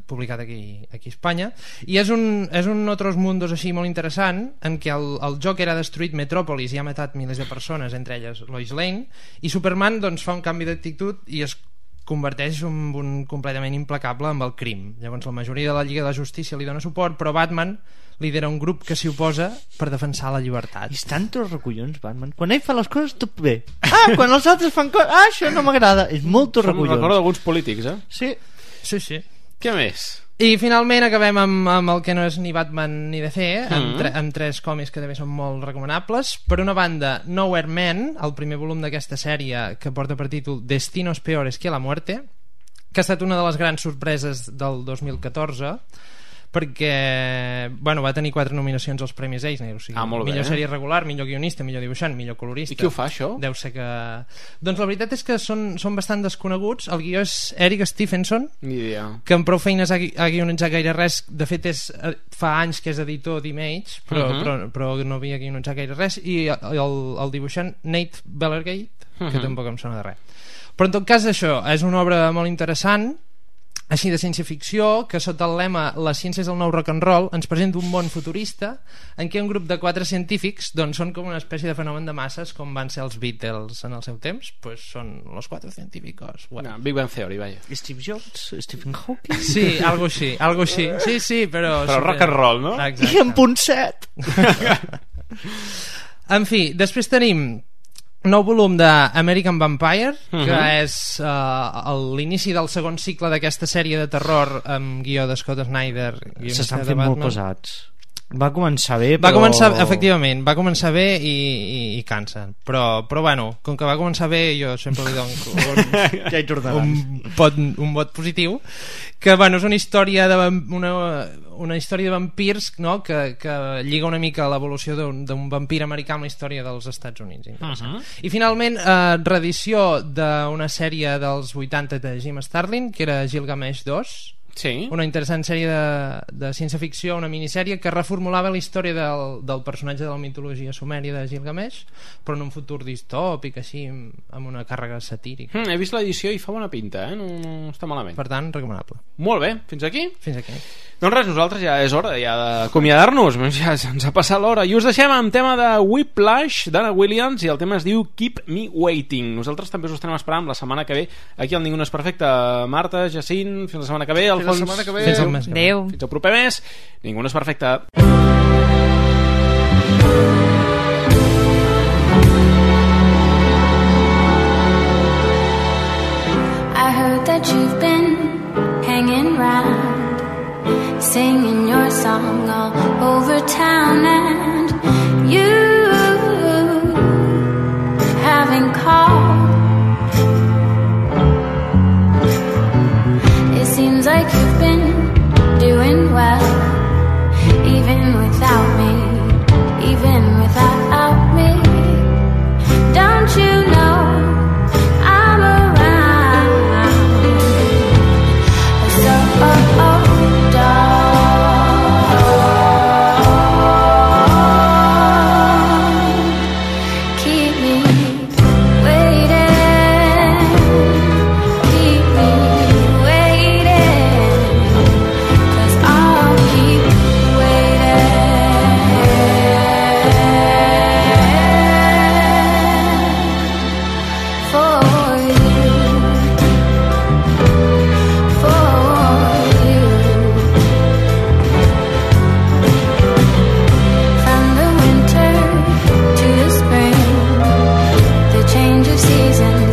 S7: publicat aquí a Espanya, i és un Otros Mundos així molt interessant, en què el joc era destruït Metrópolis i ha matat milers de persones, entre elles Lois Lane, i Superman doncs fa un canvi d'actitud i es converteix en un completament implacable amb el crim. Llavors la majoria de la Lliga de la Justícia li dona suport, però Batman lidera un grup que s'hi oposa per defensar la llibertat.
S6: I estan tots recollons, Batman. Quan ell fa les coses, tot bé. Quan els altres fan coses, això no m'agrada. És molt recollons.
S4: Em recordo d'alguns polítics,
S7: Sí.
S4: Què més?
S7: I finalment acabem amb el que no és ni Batman ni DC, amb 3 còmics que també són molt recomanables. Per una banda, Nowhere Man, el primer volum d'aquesta sèrie, que porta per títol Destinos Peores que la Muerte, que ha estat una de les grans sorpreses del 2014, perquè va tenir 4 nominacions als Premis Eisner, o sigui, millor sèrie regular, millor guionista, millor dibuixant, millor colorista.
S4: I qui ho fa, això?
S7: Deu ser que... Doncs la veritat és que són bastant desconeguts. El guió és Eric Stephenson, que amb prou feines ha guionitzat gaire res. De fet, fa anys que és editor d'Image, però no havia guionitzat gaire res. I el dibuixant Nate Bellergate, que tampoc em sona de res. Però en tot cas això és una obra molt interessant, així de ciència-ficció, que sota el lema "La ciència és el nou rock and roll" ens presenta un món futurista en què un grup de 4 científics doncs són com una espècie de fenomen de masses, com van ser els Beatles en el seu temps. Pues són los 4 científicos.
S4: Big Bang Theory, vaya.
S6: Steve Jobs, Stephen Hawking.
S7: Sí, algo així. Sí, però
S4: rock and roll, no?
S7: Exacte.
S6: I en punt 7.
S7: En fi, després tenim nou volum d'American Vampire, que és l'inici del segon cicle d'aquesta sèrie de terror amb guió de Scott Snyder.
S6: S'estan fent molt pesats. Va començar bé,
S7: efectivament, va començar bé i cansa. Però bueno, com que va començar bé, jo sempre li dono un vot positiu. Que bueno, és una història de vampirs, no? que lliga una mica l'evolució d'un vampir americà amb la història dels Estats Units. I finalment, reedició d'una sèrie dels 80 de Jim Starlin, que era Gilgamesh 2.
S4: Sí.
S7: Una interessant sèrie de ciència-ficció, una minissèrie que reformulava la història del personatge de la mitologia sumèria de Gilgamesh, però en un futur distòpic, així, amb una càrrega satírica.
S4: He vist l'edició i fa bona pinta, no està malament.
S7: Per tant, recomanable.
S4: Molt bé, fins aquí?
S7: Fins aquí.
S4: Doncs res, nosaltres ja és hora d'acomiadar-nos, ja ens ha passat l'hora, i us deixem amb tema de Whiplash d'Anna Williams, i el tema es diu Keep Me Waiting. Nosaltres també us estarem esperant la setmana que ve aquí al Ningú no és perfecte. Marta, Jacint, fins la setmana que ve.
S6: Fins la setmana que ve.
S5: Adéu.
S4: Fins el proper mes. Ningú no és perfecte.
S9: I heard that you've been hanging round, singing your song all over town, and you haven't called. reason